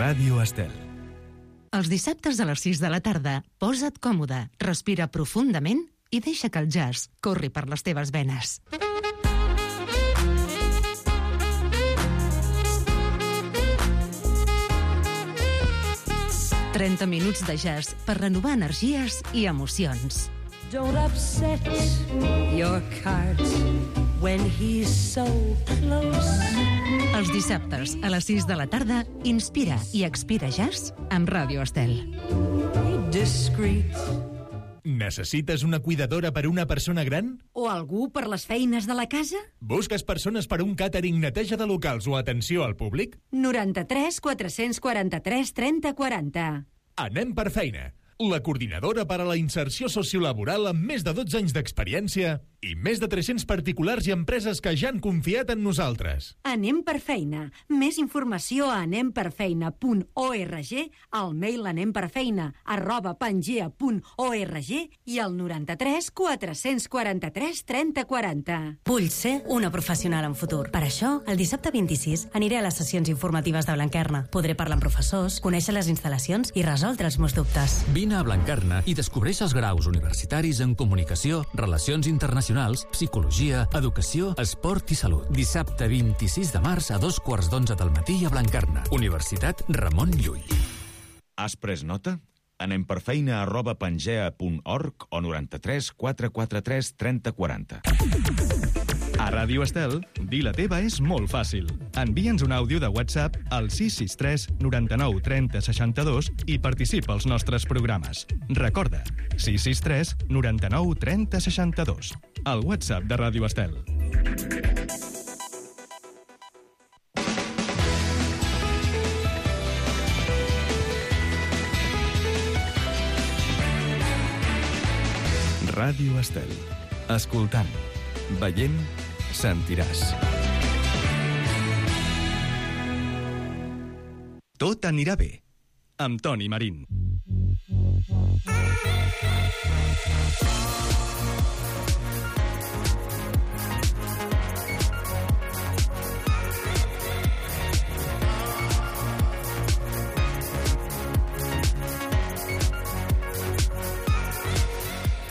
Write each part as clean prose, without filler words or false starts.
Ràdio Estel. Els dissabtes a les 6 de la tarda, posa't còmode, respira profundament i deixa que el jazz corri per les teves venes. «30 minuts de jazz per renovar energies i emocions». Don't upset your cart when he's so close. Els dissabtes a les 6 de la tarda, inspira i expira jazz amb Ràdio Estel. Discreet. Necessites una cuidadora per a una persona gran? O algú per les feines de la casa? Busques persones per a un càtering, neteja de locals o atenció al públic? 93 443 30 40. Anem per feina. La coordinadora per a la inserció sociolaboral amb més de 12 anys d'experiència i més de 300 particulars i empreses que ja han confiat en nosaltres. Anem per feina. Més informació a anemperfeina.org, al mail anemperfeina@pangea.org i al 93 443 30 40. Vull ser una professional en futur. Per això, el dissabte 26 aniré a les sessions informatives de Blanquerna. Podré parlar amb professors, conèixer les instal·lacions i resoldre els meus dubtes. Vine a Blanquerna i descobreix els graus universitaris en comunicació, relacions internacionals, psicologia, educació, esport i salut. Dissabte 26 de març a 2:15 del matí a Blanquerna. Universitat Ramon Llull. Has pres nota? Anem per feina@pangea.org o 93 443 30 40. A Ràdio Estel, dir la teva és molt fàcil. Envia'ns un àudio de WhatsApp al 663 99 30 62 i participa als nostres programes. Recorda, 663 99 30 62. El WhatsApp de Ràdio Estel. Ràdio Estel. Escoltant, veient, sentiràs. Tot anirà bé. Amb Toni Marín.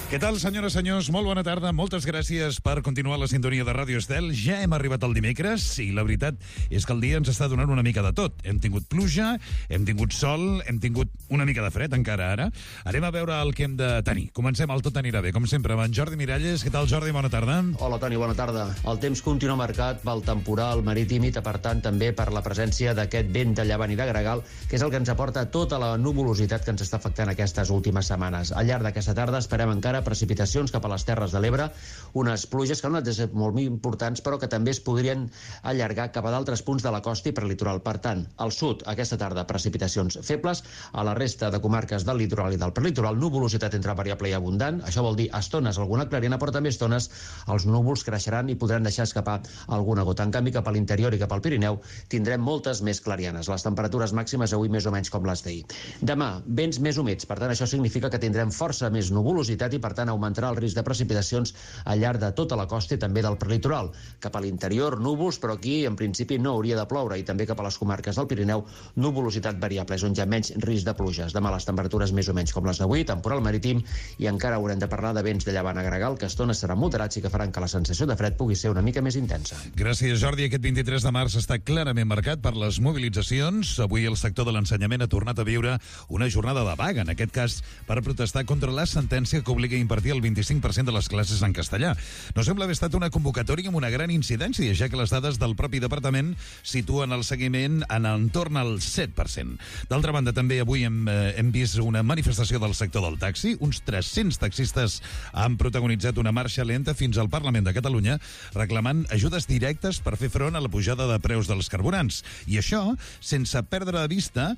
Què tal, senyores i senyors? Molt bona tarda. Moltes gràcies per continuar la sintonia de Ràdio Estel. Ja hem arribat al dimecres i la veritat és que el dia ens està donant una mica de tot. Hem tingut pluja, hem tingut sol, hem tingut una mica de fred encara ara. Anem a veure el que hem de tenir. Comencem, el Tot anirà bé, com sempre, amb en Jordi Miralles. Què tal, Jordi? Bona tarda. Hola, Toni, bona tarda. El temps continua marcat pel temporal marítim i, per tant, també per la presència d'aquest vent de llevant i de gregal, que és el que ens aporta tota la nuvolositat que ens està afectant aquestes últimes setmanes. Al llarg d'aquesta tarda esperem encara precipitacions cap a les Terres de l'Ebre, unes pluges que no han de ser molt importants, però que també es podrien allargar cap a d'altres punts de la costa i prelitoral. Per tant, al sud, aquesta tarda, precipitacions febles, a la resta de comarques del litoral i del prelitoral, nuvolositat entre variable i abundant, això vol dir a estones alguna clarina, però també a estones els núvols creixeran i podran deixar escapar alguna gota. En canvi, cap a l'interior i cap al Pirineu tindrem moltes més clarianes. Les temperatures màximes avui més o menys com les d'ahir. Demà, vents més humits, per tant, això significa que tindrem força més nuvolositat i, per tant, augmentarà el risc de precipitacions al llarg de tota la costa i també del prelitoral. Cap a l'interior, núvols, però aquí en principi no hauria de ploure, i també cap a les comarques del Pirineu, nuvolositat variable, és on hi ha menys risc de pluges. Demà les temperatures més o menys com les d'avui, temporal marítim, i encara haurem de parlar de vents de llevant a gregal, que a estones seran moderats i que faran que la sensació de fred pugui ser una mica més intensa. Gràcies, Jordi. Aquest 23 de març està clarament marcat per les mobilitzacions. Avui el sector de l'ensenyament ha tornat a viure una jornada de vaga, en aquest cas per protestar contra la sentència que obliga a impartir el 25% de les classes en castellà. No sembla haver estat una convocatòria amb una gran incidència, ja que les dades del propi departament situen el seguiment en entorn al 7%. D'altra banda, també avui hem vist una manifestació del sector del taxi. Uns 300 taxistes han protagonitzat una marxa lenta fins al Parlament de Catalunya reclamant ajudes directes per fer front a la pujada de preus dels carburants. I això sense perdre de vista,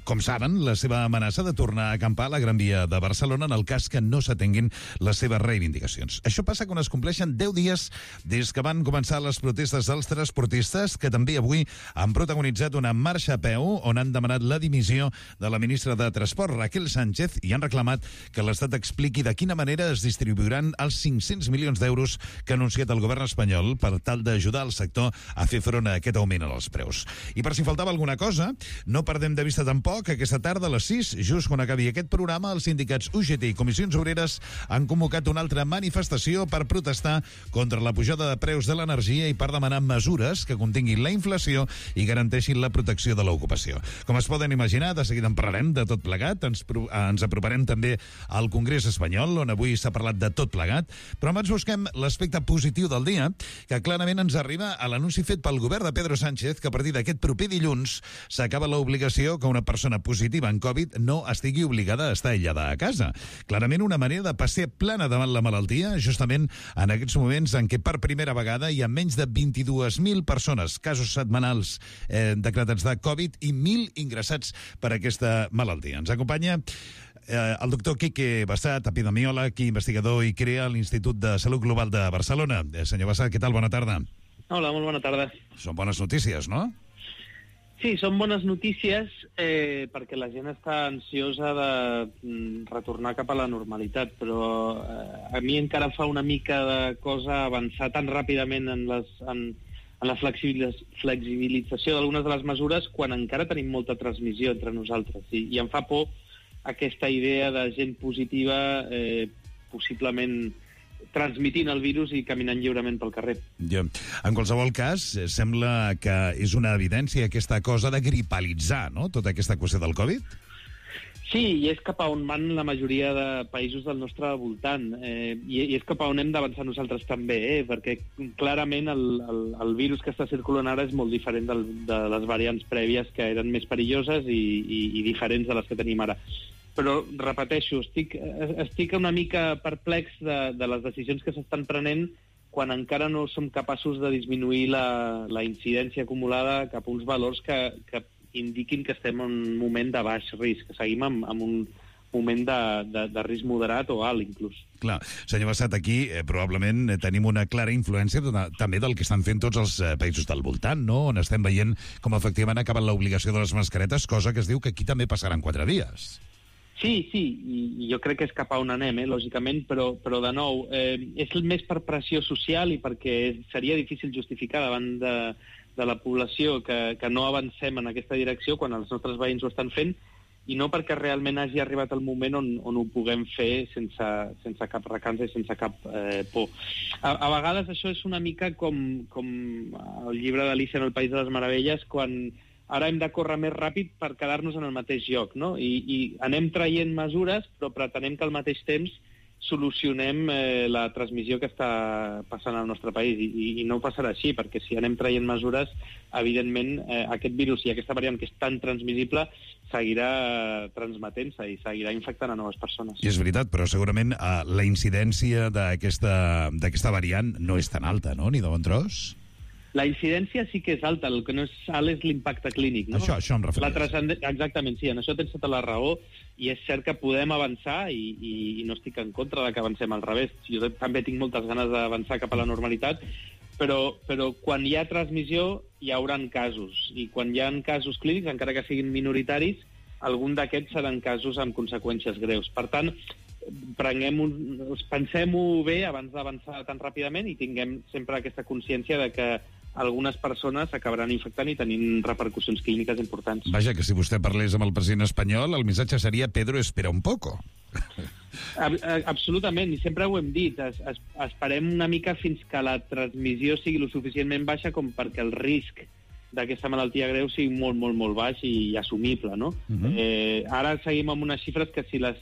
com saben, la seva amenaça de tornar a acampar a la Gran Via de Barcelona en el cas cas que no s'atenguin les seves reivindicacions. Això passa quan es compleixen 10 dies des que van començar les protestes dels transportistes, que també avui han protagonitzat una marxa a peu on han demanat la dimissió de la ministra de Transport, Raquel Sánchez, i han reclamat que l'Estat expliqui de quina manera es distribuiran els 500 milions d'euros que ha anunciat el govern espanyol per tal d'ajudar el sector a fer front a aquest augment en els preus. I per si faltava alguna cosa, no perdem de vista tampoc que aquesta tarda a les 6, just quan acabi aquest programa, els sindicats UGT i Comissions Obreres han convocat una altra manifestació per protestar contra la pujada de preus de l'energia i per demanar mesures que continguin la inflació i garanteixin la protecció de l'ocupació. Com es poden imaginar, de seguida en parlarem de tot plegat. Ens aproparem també al Congrés espanyol, on avui s'ha parlat de tot plegat, però abans busquem l'aspecte positiu del dia, que clarament ens arriba a l'anunci fet pel govern de Pedro Sánchez que a partir d'aquest proper dilluns s'acaba l'obligació que una persona positiva en Covid no estigui obligada a estar aïllada a casa. Clarament una manera de passer plana davant la malaltia, justament en aquests moments en què per primera vegada hi ha menys de 22.000 persones, casos setmanals decretats de Covid i 1.000 ingressats per aquesta malaltia. Ens acompanya el doctor Quique Bassat, epidemiòleg i investigador i crea l'Institut de Salut Global de Barcelona. Senyor Bassat, què tal? Bona tarda. Hola, molt bona tarda. Són bones notícies, no? Sí, són bones notícies perquè la gent està ansiosa de retornar cap a la normalitat, però a mi encara fa una mica de cosa avançar tan ràpidament en la flexibilització d'algunes de les mesures quan encara tenim molta transmissió entre nosaltres. I em fa por aquesta idea de gent positiva possiblement transmitint el virus i caminant lliurement pel carrer. Ja. En qualsevol cas, sembla que és una evidència aquesta cosa de gripalitzar, no?, tota aquesta qüestió del Covid? Sí, i és cap a on van la majoria de països del nostre voltant. I és cap a on hem d'avançar nosaltres també, perquè clarament el virus que està circulant ara és molt diferent de les variants prèvies que eren més perilloses i diferents de les que tenim ara. Però, repeteixo, estic una mica perplex de les decisions que s'estan prenent quan encara no som capaços de disminuir la incidència acumulada cap a uns valors que indiquin que estem en un moment de baix risc, que seguim en un moment de risc moderat o alt, inclús. Clar. Senyor Bassat, aquí probablement tenim una clara influència també del que estan fent tots els països del voltant, no?, on estem veient com efectivament ha acabat l'obligació de les mascaretes, cosa que es diu que aquí també passarà en 4 dies. Sí, i jo crec que és cap a on anem, lògicament, però de nou, és més per pressió social i perquè seria difícil justificar davant de la població que no avancem en aquesta direcció quan els nostres veïns ho estan fent, i no perquè realment hagi arribat el moment on ho puguem fer sense cap recança i sense cap por. A vegades això és una mica com el llibre d'Alicia en el País de les Meravelles, quan ara hem de córrer més ràpid per quedar-nos en el mateix lloc, no? I anem traient mesures, però pretenem que al mateix temps solucionem la transmissió que està passant al nostre país. I no passarà així, perquè si anem traient mesures, evidentment aquest virus i aquesta variant que és tan transmissible seguirà transmetent-se i seguirà infectant a noves persones. I és veritat, però segurament la incidència d'aquesta variant no és tan alta, no?, ni de bon tros? La incidència sí que és alta, el que no és alt és l'impacte clínic, no? Això em refereixo. Exactament, sí, en això tens tota la raó, i és cert que podem avançar, i no estic en contra de que avancem, al revés. Jo també tinc moltes ganes d'avançar cap a la normalitat, però quan hi ha transmissió hi haurà casos, i quan hi ha casos clínics, encara que siguin minoritaris, algun d'aquests seran casos amb conseqüències greus. Per tant, pensem-ho bé abans d'avançar tan ràpidament i tinguem sempre aquesta consciència de que algunes persones s'acabaran infectant i tenint repercussions clíniques importants. Vaja, que si vostè parlés amb el president espanyol, el missatge seria Pedro, espera un poco. Absolutament, i sempre ho hem dit. Esperem una mica fins que la transmissió sigui lo suficientment baixa com perquè el risc d'aquesta malaltia greu sigui molt, molt, molt baix i assumible, no? Ara seguim amb unes xifres que si les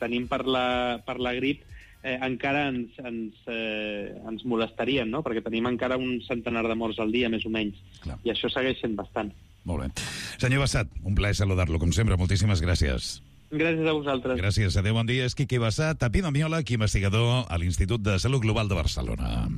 tenim per la grip encara ens molestarien, no? Perquè tenim encara un centenar de morts al dia, més o menys. Clar. I això segueix sent bastant. Molt bé. Senyor Bassat, un plaer saludar-lo, com sempre. Moltíssimes gràcies. Gràcies a vosaltres. Gràcies. Adéu, bon dia. És Quique Bassat, epidemiòleg i investigador a l'Institut de Salut Global de Barcelona.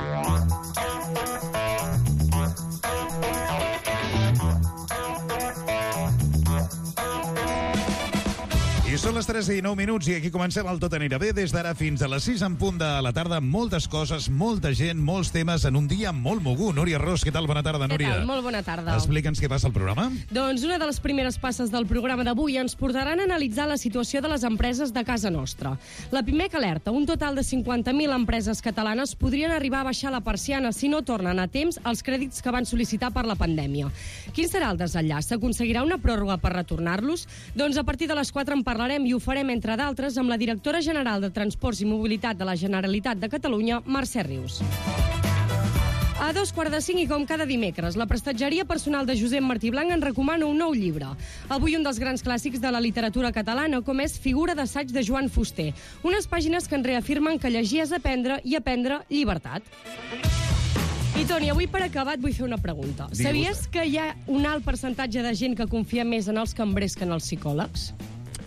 I són les 3:09 i aquí comencem el Tot anirà bé. Des d'ara fins a les 6 en punt de la tarda. Moltes coses, molta gent, molts temes en un dia molt mogut. Núria Ros, què tal? Bona tarda, Núria. Què tal? Molt bona tarda. Explica'ns què passa al programa. Doncs una de les primeres passes del programa d'avui ens portaran a analitzar la situació de les empreses de casa nostra. La PIMEC alerta, un total de 50.000 empreses catalanes podrien arribar a baixar la persiana si no tornen a temps els crèdits que van sol·licitar per la pandèmia. Quin serà el desenllaç? S'aconseguirà una pròrroga per retornar-los? Doncs a partir de les 4 en parlarem i ho farem, entre d'altres, amb la directora general de Transports i Mobilitat de la Generalitat de Catalunya, Mercè Rius. A 4:45 i com cada dimecres, la prestatgeria personal de Josep Martí Blanc en recomana un nou llibre. Avui un dels grans clàssics de la literatura catalana, com és Figura d'assaig de Joan Fuster. Unes pàgines que ens reafirmen que llegir és aprendre i aprendre llibertat. I Toni, avui per acabar et vull fer una pregunta. Sabies que hi ha un alt percentatge de gent que confia més en els cambrers que en els psicòlegs?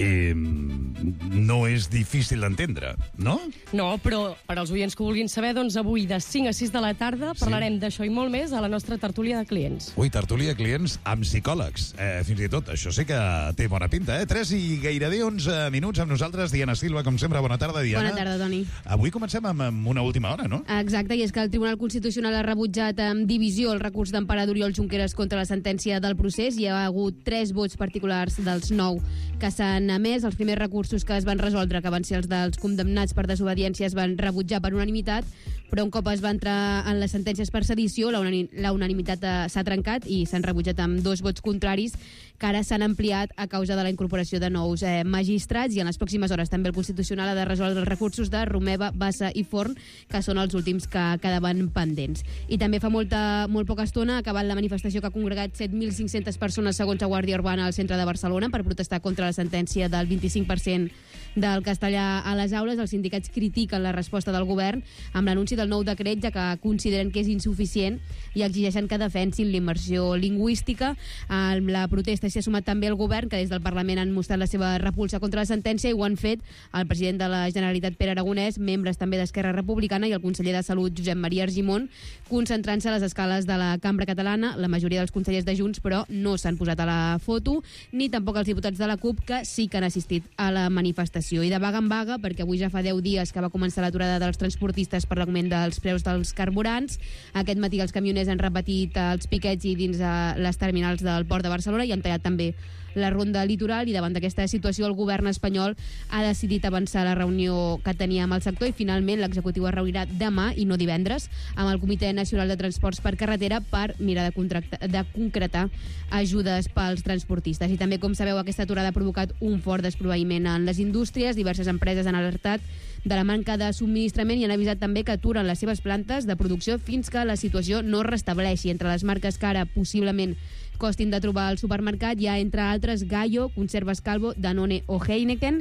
No és difícil d'entendre, no? No, però per als oients que ho vulguin saber, doncs avui de 5 a 6 de la tarda parlarem d'això i molt més a la nostra tertúlia de clients. Ui, tertúlia de clients amb psicòlegs. Fins i tot, això sí que té bona pinta, 3 i gairebé 11 minuts amb nosaltres. Diana Silva, com sempre, bona tarda, Diana. Bona tarda, Toni. Avui comencem amb una última hora, no? Exacte, i és que el Tribunal Constitucional ha rebutjat amb divisió el recurs d'Empara d'Oriol Junqueras contra la sentència del procés. Hi ha hagut 3 vots particulars dels 9 que s'han emès. Els primers recursos que es van resoldre, que van ser els dels condemnats per desobediència, es van rebutjar per unanimitat, però un cop es va entrar en les sentències per sedició, la unanimitat s'ha trencat i s'han rebutjat amb 2 vots contraris, que ara s'han ampliat a causa de la incorporació de nous magistrats, i en les pròximes hores també el Constitucional ha de resoldre els recursos de Romeva, Bassa i Forn, que són els últims que quedaven pendents. I també fa molt poca estona ha acabat la manifestació que ha congregat 7.500 persones segons la Guàrdia Urbana al centre de Barcelona per protestar contra la sentència del 25% del castellà a les aules. Els sindicats critiquen la resposta del govern amb l'anunci del nou decret, ja que consideren que és insuficient i exigeixen que defensin la immersió lingüística. La protesta s'hi ha sumat també el govern, que des del Parlament han mostrat la seva repulsa contra la sentència, i ho han fet el president de la Generalitat, Pere Aragonès, membres també d'Esquerra Republicana i el conseller de Salut, Josep Maria Argimon, concentrant-se a les escales de la Cambra Catalana. La majoria dels consellers de Junts, però, no s'han posat a la foto, ni tampoc els diputats de la CUP, que sí que han assistit a la manifestació. I de vaga en vaga, perquè avui ja fa 10 dies que va començar l'aturada dels transportistes per l'augment dels preus dels carburants. Aquest matí els camioners han repetit els piquets i dins les terminals del Port de Barcelona i han tallat també la ronda litoral, i davant d'aquesta situació el govern espanyol ha decidit avançar la reunió que tenia amb el sector, i finalment l'executiu es reunirà demà i no divendres amb el Comitè Nacional de Transports per Carretera per mirar de concretar ajudes pels transportistes. I també, com sabeu, aquesta aturada ha provocat un fort desproveïment en les indústries. Diverses empreses han alertat de la manca de subministrament i han avisat també que aturen les seves plantes de producció fins que la situació no es restableixi. Entre les marques que ara possiblement costin de trobar al supermercat hi ha, entre altres, Gallo, Conservas Calvo, Danone o Heineken.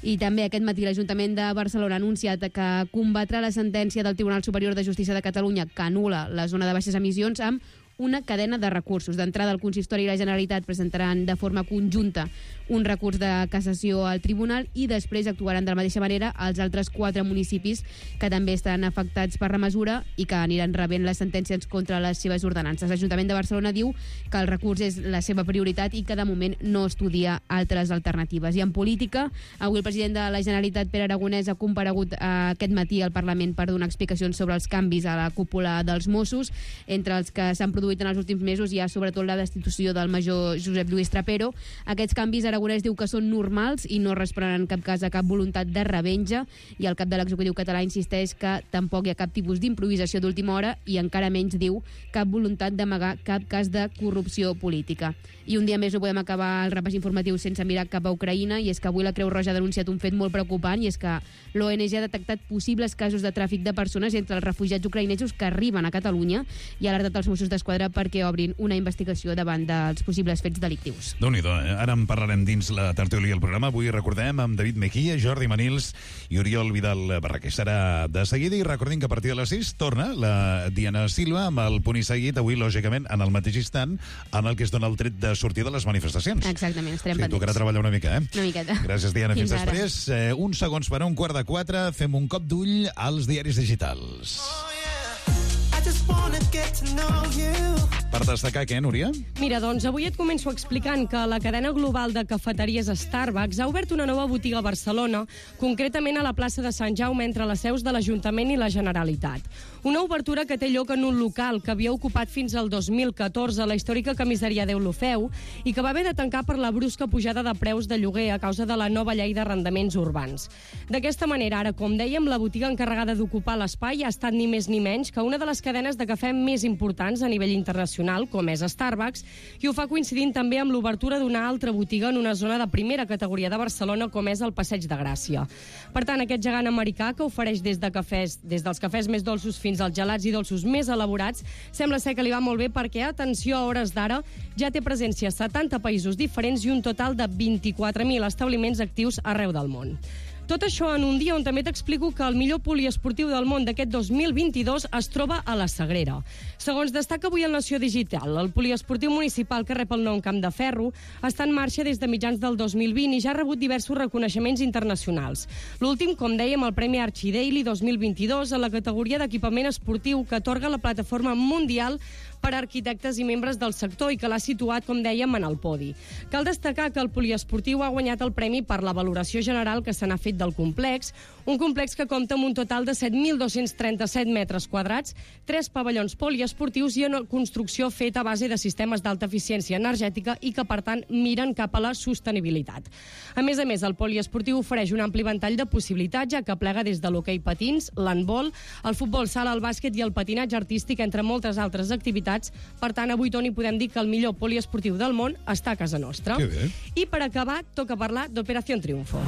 I també aquest matí l'Ajuntament de Barcelona ha anunciat que combatrà la sentència del Tribunal Superior de Justícia de Catalunya que anul·la la zona de baixes emissions amb una cadena de recursos. D'entrada, el Consistori i la Generalitat presentaran de forma conjunta un recurs de cassació al Tribunal i després actuaran de la mateixa manera els altres 4 municipis que també estan afectats per la mesura i que aniran rebent les sentències contra les seves ordenances. L'Ajuntament de Barcelona diu que el recurs és la seva prioritat i que de moment no estudia altres alternatives. I en política, avui el president de la Generalitat, Pere Aragonès, ha comparegut aquest matí al Parlament per donar explicacions sobre els canvis a la cúpula dels Mossos. Entre els que s'han produït en els últims mesos hi ha sobretot la destitució del major Josep Lluís Trapero. Aquests canvis Aragonès diu que són normals i no responen en cap cas a cap voluntat de revenja, i el cap de l'executiu català insisteix que tampoc hi ha cap tipus d'improvisació d'última hora i encara menys, diu, cap voluntat d'amagar cap cas de corrupció política. I un dia més no podem acabar el repàs informatiu sense mirar cap a Ucraïna, i és que avui la Creu Roja ha denunciat un fet molt preocupant, i és que l'ONG ha detectat possibles casos de tràfic de persones entre els refugiats ucraïnesos que arriben a Catalunya i ha alertat els Mossos d'Esquadra perquè obrin una investigació davant dels possibles fets delictius. Déu-n'hi-do, ara en parlarem dins la tertúlia del programa. Avui recordem amb David Mejía, Jordi Manils i Oriol Vidal Barraquer. Serà de seguida, i recordem que a partir de les 6 torna la Diana Silva amb el punt i seguit, avui lògicament en el mateix instant en el que es dona el tret de sortir de les manifestacions. Exactament, estarem pendents. Tocarà treballar una mica, Una miqueta. Gràcies, Diana. Fins després. Uns segons per a 3:15, fem un cop d'ull als diaris digitals. I just wanna get to know you. Per destacar què, Núria? Mira, doncs avui et començo explicant que la cadena global de cafeteries Starbucks ha obert una nova botiga a Barcelona, concretament a la plaça de Sant Jaume, entre les seus de l'Ajuntament i la Generalitat. Una obertura que té lloc en un local que havia ocupat fins al 2014 la històrica comissaria d'Eulofeu i que va haver de tancar per la brusca pujada de preus de lloguer a causa de la nova llei d'arrendaments urbans. D'aquesta manera, ara, com dèiem, la botiga encarregada d'ocupar l'espai ha estat ni més ni menys que una de les cadenes de cafè més importants a nivell internacional, com és Starbucks, i ho fa coincidint també amb l'obertura d'una altra botiga en una zona de primera categoria de Barcelona, com és el Passeig de Gràcia. Per tant, aquest gegant americà, que ofereix des dels cafès més dolços fins als gelats i dolços més elaborats, sembla ser que li va molt bé perquè, atenció, a hores d'ara, ja té presència a 70 països diferents i un total de 24.000 establiments actius arreu del món. Tot això en un dia on també t'explico que el millor poliesportiu del món d'aquest 2022 es troba a la Sagrera. Segons destaca avui el Nació Digital, el poliesportiu municipal que rep el nom Camp de Ferro està en marxa des de mitjans del 2020 i ja ha rebut diversos reconeixements internacionals. L'últim, com dèiem, el Premi Archidaily 2022 a la categoria d'equipament esportiu que atorga la plataforma mundial per a arquitectes i membres del sector i que l'ha situat, com dèiem, en el podi. Cal destacar que el poliesportiu ha guanyat el premi per la valoració general que se n'ha fet del complex, un complex que compta amb un total de 7.237 metres quadrats, 3 pavellons poliesportius i una construcció feta a base de sistemes d'alta eficiència energètica i que, per tant, miren cap a la sostenibilitat. A més, el poliesportiu ofereix un ampli ventall de possibilitats, ja que plega des de l'hoquei patins, l'handbol, el futbol sala, el bàsquet i el patinatge artístic, entre moltes altres activitats. Per tant, avui, Toni, podem dir que el millor poliesportiu del món està a casa nostra. Que bé. I per acabar, toca parlar d'Operación Triunfo.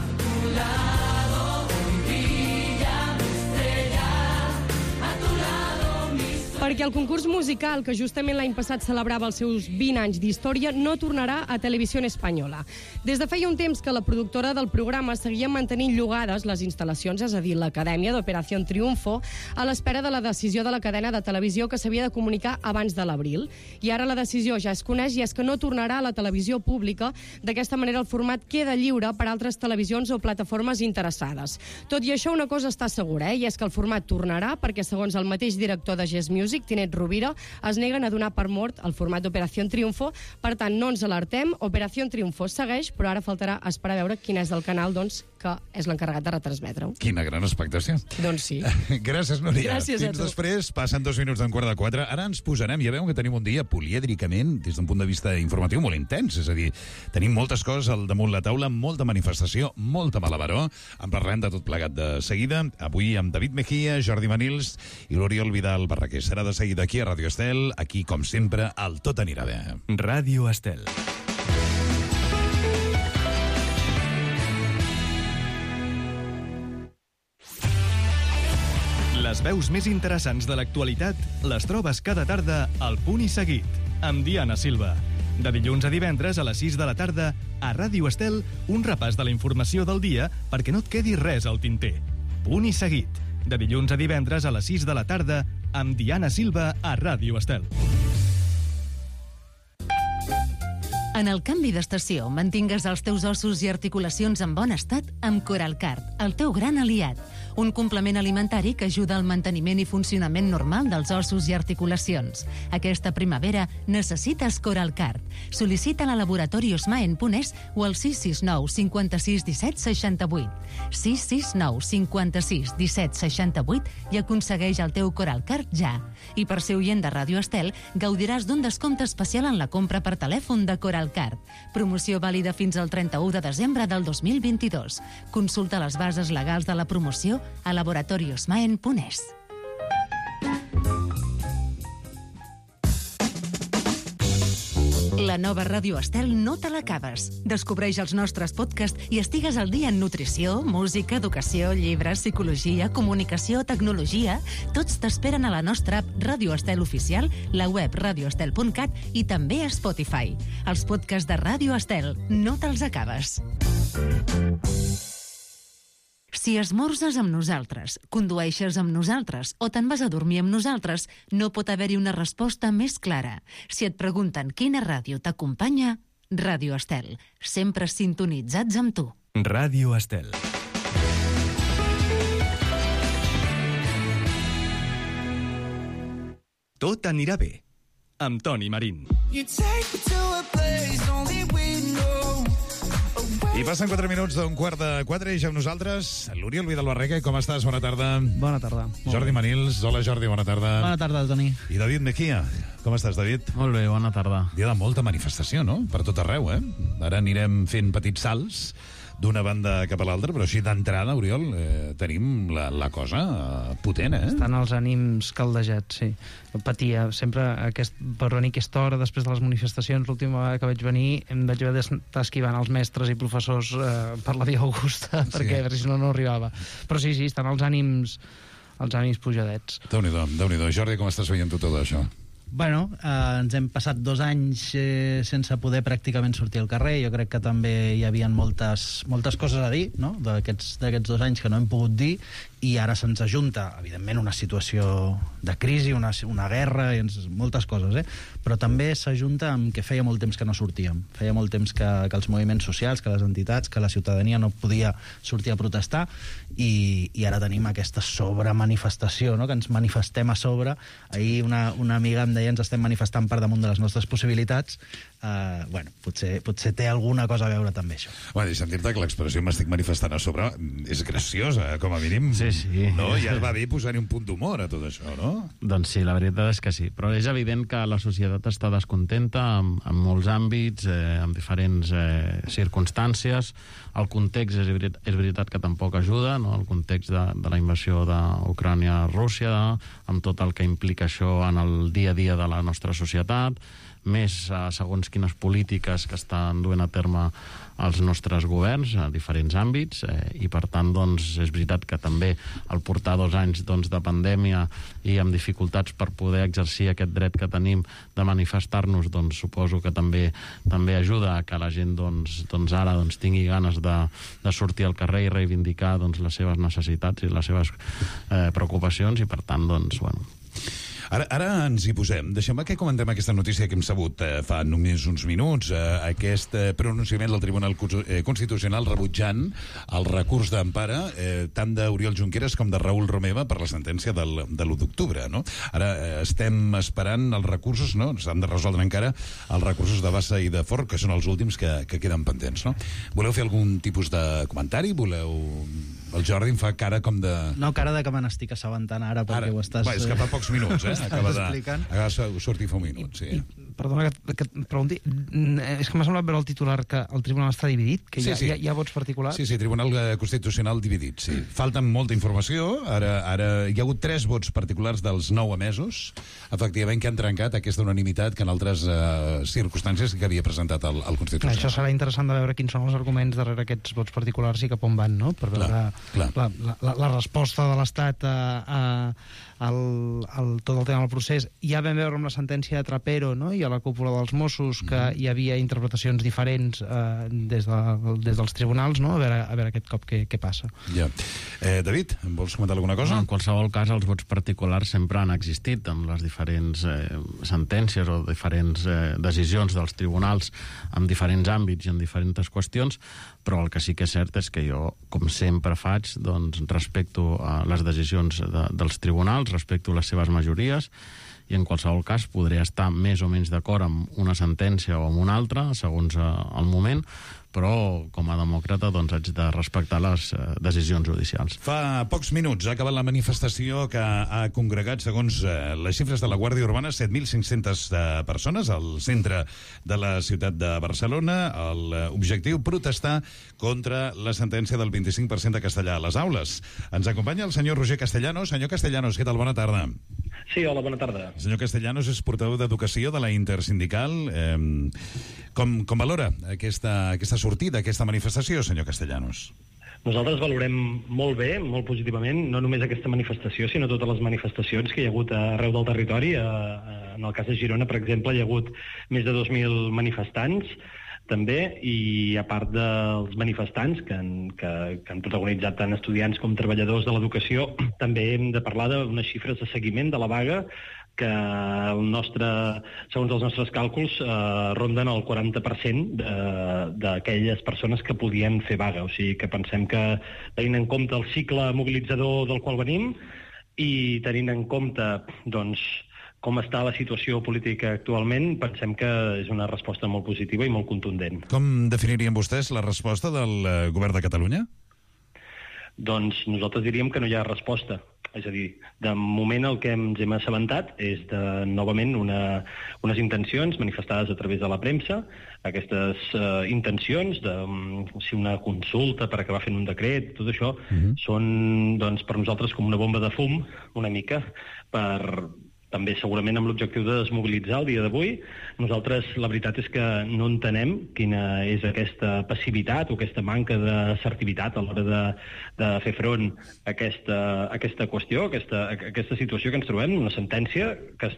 Perquè el concurs musical, que justament l'any passat celebrava els seus 20 anys d'història, no tornarà a Televisió Espanyola. Des de feia un temps que la productora del programa seguia mantenint llogades les instal·lacions, és a dir, l'Acadèmia d'Operación Triunfo, a l'espera de la decisió de la cadena de televisió que s'havia de comunicar abans de l'abril. I ara la decisió ja es coneix i és que no tornarà a la televisió pública. D'aquesta manera el format queda lliure per a altres televisions o plataformes interessades. Tot i això, una cosa està segura, i és que el format tornarà perquè, segons el mateix director de Yes Music, Tinet Rovira, es neguen a donar per mort el format d'Operación Triunfo. Per tant, no ens alertem, Operación Triunfo segueix, però ara faltarà esperar a veure quin és el canal, doncs, que és l'encarregat de retransmetre-ho. Quina gran expectació. Doncs sí. Gràcies, Núria. Gràcies a Fins tu. després, passen 2 minuts d'un quart de 4. Ara ens posarem, ja veuen que tenim un dia polièdricament, des d'un punt de vista informatiu, molt intens. És a dir, tenim moltes coses al damunt la taula, molta manifestació, molta malabaró. En parlem de tot plegat de seguida. Avui amb David Mejía, Jordi Manils i l'Oriol Vidal Barraquer. Serà de seguida aquí a Ràdio Estel. Aquí, com sempre, el tot anirà bé. Ràdio Estel. Les veus més interessants de l'actualitat les trobes cada tarda al Punt i Seguit, amb Diana Silva. De dilluns a divendres a les 6 de la tarda, a Ràdio Estel, un repàs de la informació del dia perquè no et quedi res al tinter. Punt i Seguit, de dilluns a divendres a les 6 de la tarda, amb Diana Silva a Ràdio Estel. En el canvi d'estació, mantingues els teus ossos i articulacions en bon estat amb Coralcard, el teu gran aliat. Un complement alimentari que ajuda al manteniment i funcionament normal dels ossos i articulacions. Aquesta primavera necessites Coralcard. Sol·licita-la a Laboratori Osmaen Punès o al 669 56 17 68. 669 56 17 68 i aconsegueix el teu Coralcard ja. I per ser oient de Ràdio Estel, gaudiràs d'un descompte especial en la compra per telèfon de Coralcard. Promoció vàlida fins al 31 de desembre del 2022. Consulta les bases legals de la promoció a Laboratori Osmaen Punès. La nova Ràdio Estel no te l'acabes. Descobreix els nostres podcasts i estigues al dia en nutrició, música, educació, llibres, psicologia, comunicació, tecnologia. Tots t'esperen a la nostra app Ràdio Estel Oficial, la web radioestel.cat i també a Spotify. Els podcasts de Ràdio Estel no te'ls acabes. Si esmorzes amb nosaltres, condueixes amb nosaltres o te'n vas a dormir amb nosaltres, no pot haver-hi una resposta més clara. Si et pregunten quina ràdio t'acompanya, Ràdio Estel. Sempre sintonitzats amb tu. Ràdio Estel. Tot anirà bé. amb Toni Marín. I passen 4 minuts d'un 3:45 i ja amb nosaltres l'Oriol Vidal-Barreca. Com estàs? Bona tarda. Bona tarda. Jordi Manils. Hola, Jordi, bona tarda. Bona tarda, Toni. I David Mejía. Com estàs, David? Molt bé, bona tarda. Dia de molta manifestació, no? Per tot arreu, eh? Ara anirem fent petits salts d'una banda cap a l'altra, però així d'entrada, Oriol, tenim la cosa potent, eh? Estan els ànims caldejats, sí. Patia sempre per venir aquesta hora després de les manifestacions. L'última vegada que vaig venir em vaig haver d'estar esquivant els mestres i professors per la via Augusta, perquè si no arribava. Però sí, estan els ànims pujadets. Déu-n'hi-do. Jordi, com estàs veient tu tot això? Bueno, ens hem passat 2 anys sense poder pràcticament sortir al carrer. Jo crec que també hi havia moltes coses a dir, no?, d'aquests 2 anys que no hem pogut dir, i ara se'ns ajunta, evidentment, una situació de crisi, una guerra, moltes coses, però també s'ajunta amb que feia molt temps que no sortíem. Feia molt temps que els moviments socials, que les entitats, que la ciutadania no podia sortir a protestar, i ara tenim aquesta sobremanifestació, no?, que ens manifestem a sobre. Ahir una amiga em deia ens estem manifestant per damunt de les nostres possibilitats. Bueno, potser té alguna cosa a veure també això. Bueno, deixa'm dir-te que l'expressió m'estic manifestant a sobre és graciosa, com a mínim. Sí. No? Ja va bé posar-hi un punt d'humor a tot això, no? Doncs sí, la veritat és que sí. Però és evident que la societat està descontenta en molts àmbits, en diferents circumstàncies. El context és veritat que tampoc ajuda, no? El context de la invasió d'Ucrània a Rússia, amb tot el que implica això en el dia a dia de la nostra societat, més segons quines polítiques que estan duent a terme els nostres governs a diferents àmbits, i per tant doncs, és veritat que també al portar 2 anys de pandèmia i amb dificultats per poder exercir aquest dret que tenim de manifestar-nos, doncs suposo que també ajuda a que la gent ara tingui ganes de sortir al carrer i reivindicar les seves necessitats i les seves preocupacions, i per tant, doncs, bueno... Ara ens hi posem. Deixem que comentem aquesta notícia que hem sabut fa només uns minuts, aquest pronunciament del Tribunal Constitucional rebutjant el recurs d'empara tant d'Oriol Junqueras com de Raül Romeva per la sentència de l'1 d'octubre, no? Ara estem esperant els recursos, no? S'han de resoldre encara els recursos de Bassa i de Forn, que són els últims que queden pendents, no? Voleu fer algun tipus de comentari? El Jordi em fa cara com de... No, cara de que me n'estic assabentant ara, perquè ho estàs... És que fa pocs minuts, acaba de sortir fa un minut, sí. Perdona que et pregunti, és que m'ha semblat veure el titular que el tribunal està dividit, que hi ha vots particulars. Sí, Tribunal Constitucional dividit, sí. Falta molta informació, ara hi ha hagut 3 vots particulars dels 9 emesos, efectivament, que han trencat aquesta unanimitat que en altres circumstàncies que havia presentat el Constitucional. Això serà interessant de veure quins són els arguments darrere aquests vots particulars i cap on van, no?, per veure la resposta de l'Estat a tot el tema del procés. Ja vam veure amb la sentència de Trapero, no?, i a la cúpula dels Mossos que hi havia interpretacions diferents des dels tribunals, no?, a veure aquest cop què passa. Ja. David, vols comentar alguna cosa? En qualsevol cas, els vots particulars sempre han existit amb les diferents sentències o diferents decisions dels tribunals en diferents àmbits i en diferents qüestions, però el que sí que és cert és que jo, com sempre faig, doncs respecto a les decisions dels tribunals, respecto a les seves majories, i en qualsevol cas podré estar més o menys d'acord amb una sentència o amb una altra, segons el moment, però com a demòcrata doncs haig de respectar les decisions judicials. Fa pocs minuts ha acabat la manifestació que ha congregat, segons les xifres de la Guàrdia Urbana, 7.500 persones al centre de la ciutat de Barcelona. L'objectiu, protestar contra la sentència del 25% de castellà a les aules. Ens acompanya el senyor Roger Castellanos. Senyor Castellanos, què tal? Bona tarda. Sí, hola, bona tarda. El senyor Castellanos és portaveu d'Educació de la Intersindical. Com valora aquesta sortida, aquesta manifestació, senyor Castellanos? Nosaltres valorem molt bé, molt positivament, no només aquesta manifestació, sinó totes les manifestacions que hi ha hagut arreu del territori. En el cas de Girona, per exemple, hi ha hagut més de 2.000 manifestants, també, i a part dels manifestants que han protagonitzat tant estudiants com treballadors de l'educació, també hem de parlar d'unes xifres de seguiment de la vaga que segons els nostres càlculs ronden el 40% d'aquelles persones que podien fer vaga. O sigui que pensem que, tenint en compte el cicle mobilitzador del qual venim i tenint en compte doncs, com està la situació política actualment, pensem que és una resposta molt positiva i molt contundent. Com definirien vostès la resposta del govern de Catalunya? Doncs nosaltres diríem que no hi ha resposta. És a dir, de moment el que ens hem assabentat és novament unes intencions manifestades a través de la premsa. Aquestes intencions de si una consulta per acabar fent un decret, tot això, són doncs, per nosaltres com una bomba de fum, una mica, també segurament amb l'objectiu de desmobilitzar el dia d'avui. Nosaltres la veritat és que no entenem quina és aquesta passivitat o aquesta manca d'assertivitat a l'hora de fer front a aquesta qüestió, aquesta situació que ens trobem, una sentència que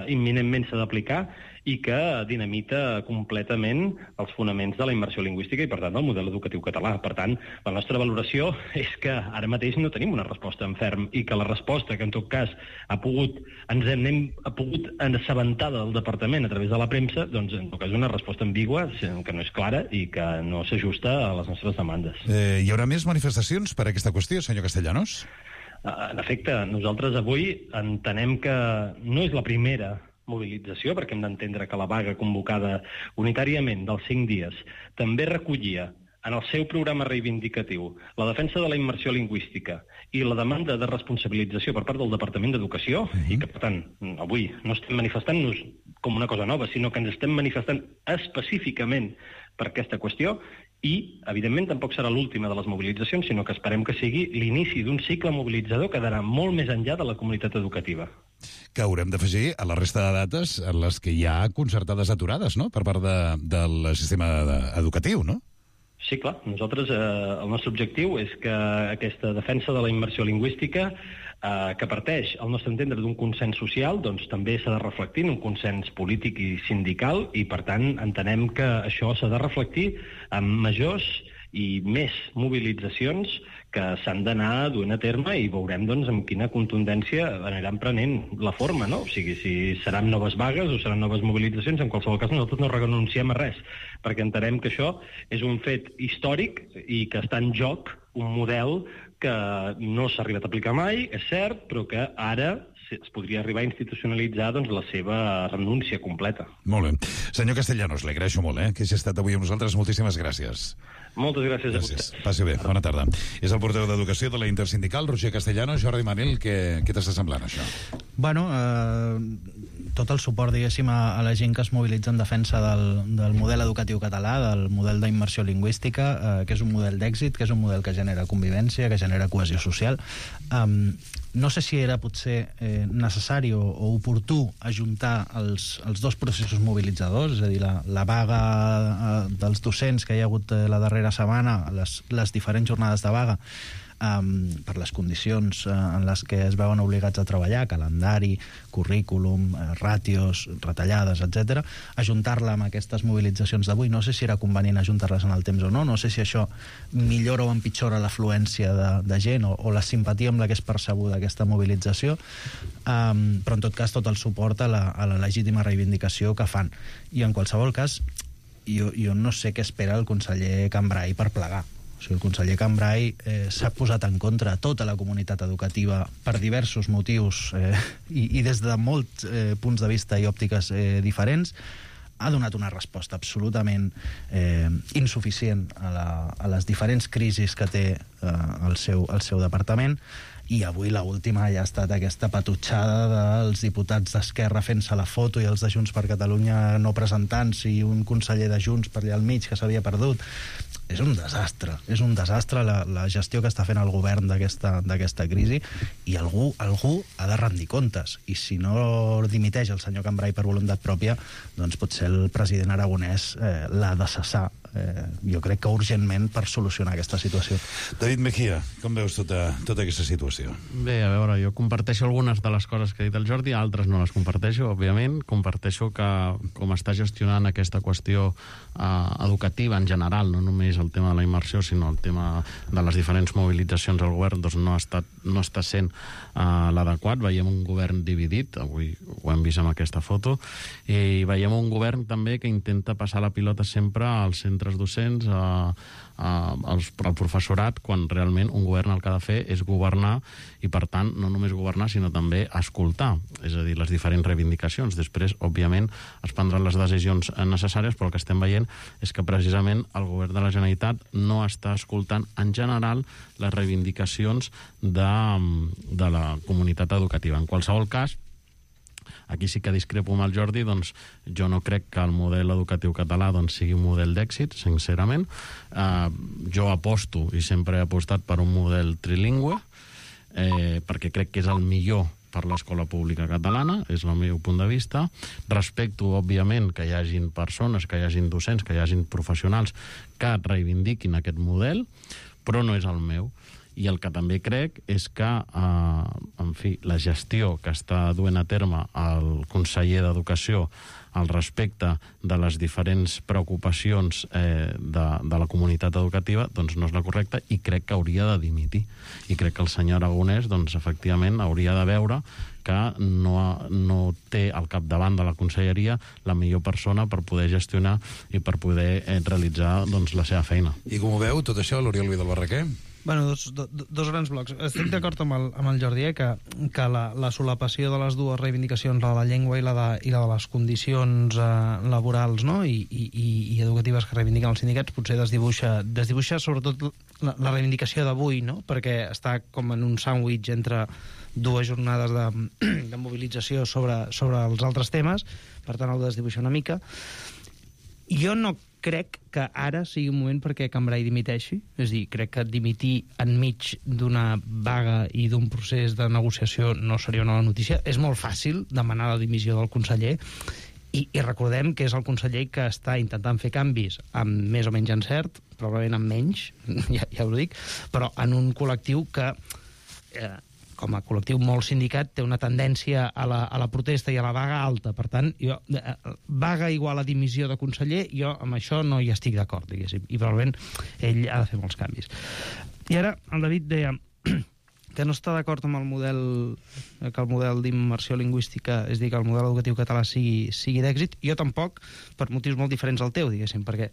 imminentment s'ha d'aplicar i que dinamita completament els fonaments de la immersió lingüística i, per tant, del model educatiu català. Per tant, la nostra valoració és que ara mateix no tenim una resposta en ferm i que la resposta que, en tot cas, ens hem pogut assabentar del departament a través de la premsa, doncs, en tot cas, una resposta ambigua, que no és clara i que no s'ajusta a les nostres demandes. Hi haurà més manifestacions per aquesta qüestió, senyor Castellanos? En efecte, nosaltres avui entenem que no és la primera mobilització, perquè hem d'entendre que la vaga convocada unitàriament dels 5 dies també recollia en el seu programa reivindicatiu la defensa de la immersió lingüística i la demanda de responsabilització per part del Departament d'Educació, i que, per tant, avui no estem manifestant-nos com una cosa nova, sinó que ens estem manifestant específicament per aquesta qüestió, i, evidentment, tampoc serà l'última de les mobilitzacions, sinó que esperem que sigui l'inici d'un cicle mobilitzador que d'anar molt més enllà de la comunitat educativa. Que haurem d'afegir a la resta de dates en les que hi ha concertades aturades, no?, per part del sistema educatiu, no? Sí, clar. Nosaltres, el nostre objectiu és que aquesta defensa de la immersió lingüística, que parteix, al nostre entendre, d'un consens social, doncs també s'ha de reflectir en un consens polític i sindical, i, per tant, entenem que això s'ha de reflectir en majors i més mobilitzacions que s'han d'anar duent a terme, i veurem doncs amb quina contundència aniran prenent la forma, no? O sigui, si seran noves vagues o seran noves mobilitzacions, en qualsevol cas nosaltres no renunciem a res, perquè entenem que això és un fet històric i que està en joc un model que no s'ha arribat a aplicar mai, és cert, però que ara es podria arribar a institucionalitzar doncs, la seva renúncia completa. Molt bé. Senyor Castellanos, li agraeixo molt que hagi estat avui amb nosaltres. Moltíssimes gràcies. Moltes gràcies a vostè. Passi bé. Bona tarda. És el portaveu d'Educació de la Intersindical, Roger Castellanos. Jordi Manel, què t'està semblant, això? Bueno, tot el suport, diguéssim, a la gent que es mobilitza en defensa del model educatiu català, del model d'immersió lingüística, que és un model d'èxit, que és un model que genera convivència, que genera cohesió social. No sé si era potser necessari o oportú ajuntar els dos processos mobilitzadors, és a dir, la vaga dels docents que hi ha hagut la darrera setmana, les diferents jornades de vaga, per les condicions en les que es veuen obligats a treballar, calendari, currículum, ràtios, retallades, etc., ajuntar-la amb aquestes mobilitzacions d'avui. No sé si era convenient ajuntar-les en el temps o no, no sé si això millora o empitjora l'afluència de gent o la simpatia amb la que és percebuda aquesta mobilització, però en tot cas tot el suport a la legítima reivindicació que fan. I en qualsevol cas, jo no sé què espera el conseller Cambray per plegar. O sigui, el conseller Cambray s'ha posat en contra tota la comunitat educativa per diversos motius i des de molts punts de vista i òptiques diferents. Ha donat una resposta absolutament insuficient a les diferents crisis que té el seu departament, i avui l'última ja ha estat aquesta patutxada dels diputats d'Esquerra fent-se la foto i els de Junts per Catalunya no presentant-se, i un conseller de Junts per allà al mig que s'havia perdut. És un desastre la gestió que està fent el govern d'aquesta crisi, i algú ha de rendir comptes, i si no dimiteix el senyor Cambray per voluntat pròpia, doncs potser el president aragonès l'ha de cessar, jo crec que urgentment, per solucionar aquesta situació. David Mejía, com veus tota aquesta situació? Bé, a veure, jo comparteixo algunes de les coses que ha dit el Jordi, altres no les comparteixo, òbviament. Comparteixo que com està gestionant aquesta qüestió educativa en general, no només el tema de la immersió, sinó el tema de les diferents mobilitzacions al govern, doncs no està sent l'adequat. Veiem un govern dividit, avui ho ho hem vist amb aquesta foto, i veiem un govern també que intenta passar la pilota sempre als centres docents, al professorat, quan realment un govern el que ha de fer és governar, i per tant no només governar sinó també escoltar, és a dir, les diferents reivindicacions. Després, òbviament, es prendran les decisions necessàries, però el que estem veient és que precisament el govern de la Generalitat no està escoltant en general les reivindicacions de la comunitat educativa. En qualsevol cas, aquí sí que discrepo amb el Jordi, doncs jo no crec que el model educatiu català sigui un model d'èxit, sincerament. Jo aposto, i sempre he apostat per un model trilingüe, perquè crec que és el millor per l'escola pública catalana, és el meu punt de vista. Respecto, òbviament, que hi hagin persones, que hi hagin docents, que hi hagin professionals que reivindiquin aquest model, però no és el meu. I el que també crec és que, en fi, la gestió que està duent a terme el conseller d'Educació al respecte de les diferents preocupacions de la comunitat educativa, doncs no és la correcta, i crec que hauria de dimitir. I crec que el senyor Aragonès, doncs, efectivament, hauria de veure que no té al capdavant de la conselleria la millor persona per poder gestionar i per poder realitzar, doncs, la seva feina. I com ho veu, tot això, l'Oriol Vidal Barraquer? Bueno, dos grans blocs. Estic d'acord amb el Jordi, que la solapació de les dues reivindicacions, la de la llengua i la de les condicions laborals, no? i educatives que reivindiquen els sindicats, potser desdibuixa sobretot la reivindicació d'avui, no? Perquè està com en un sàndwich entre dues jornades de mobilització sobre els altres temes, per tant el desdibuixa una mica. Jo no crec que ara sigui un moment perquè Cambray dimiteixi, és a dir, crec que dimitir enmig d'una vaga i d'un procés de negociació no seria una bona notícia. És molt fàcil demanar la dimissió del conseller, i recordem que és el conseller que està intentant fer canvis amb més o menys encert, probablement amb menys, ja ho dic, però en un col·lectiu que com a col·lectiu molt sindicat, té una tendència a la protesta i a la vaga alta. Per tant, vaga igual a dimissió de conseller, jo amb això no hi estic d'acord, diguéssim. I probablement ell ha de fer molts canvis. I ara el David deia que no està d'acord amb el model, que el model d'immersió lingüística, és a dir, que el model educatiu català sigui d'èxit. Jo tampoc, per motius molt diferents al teu, diguéssim, perquè,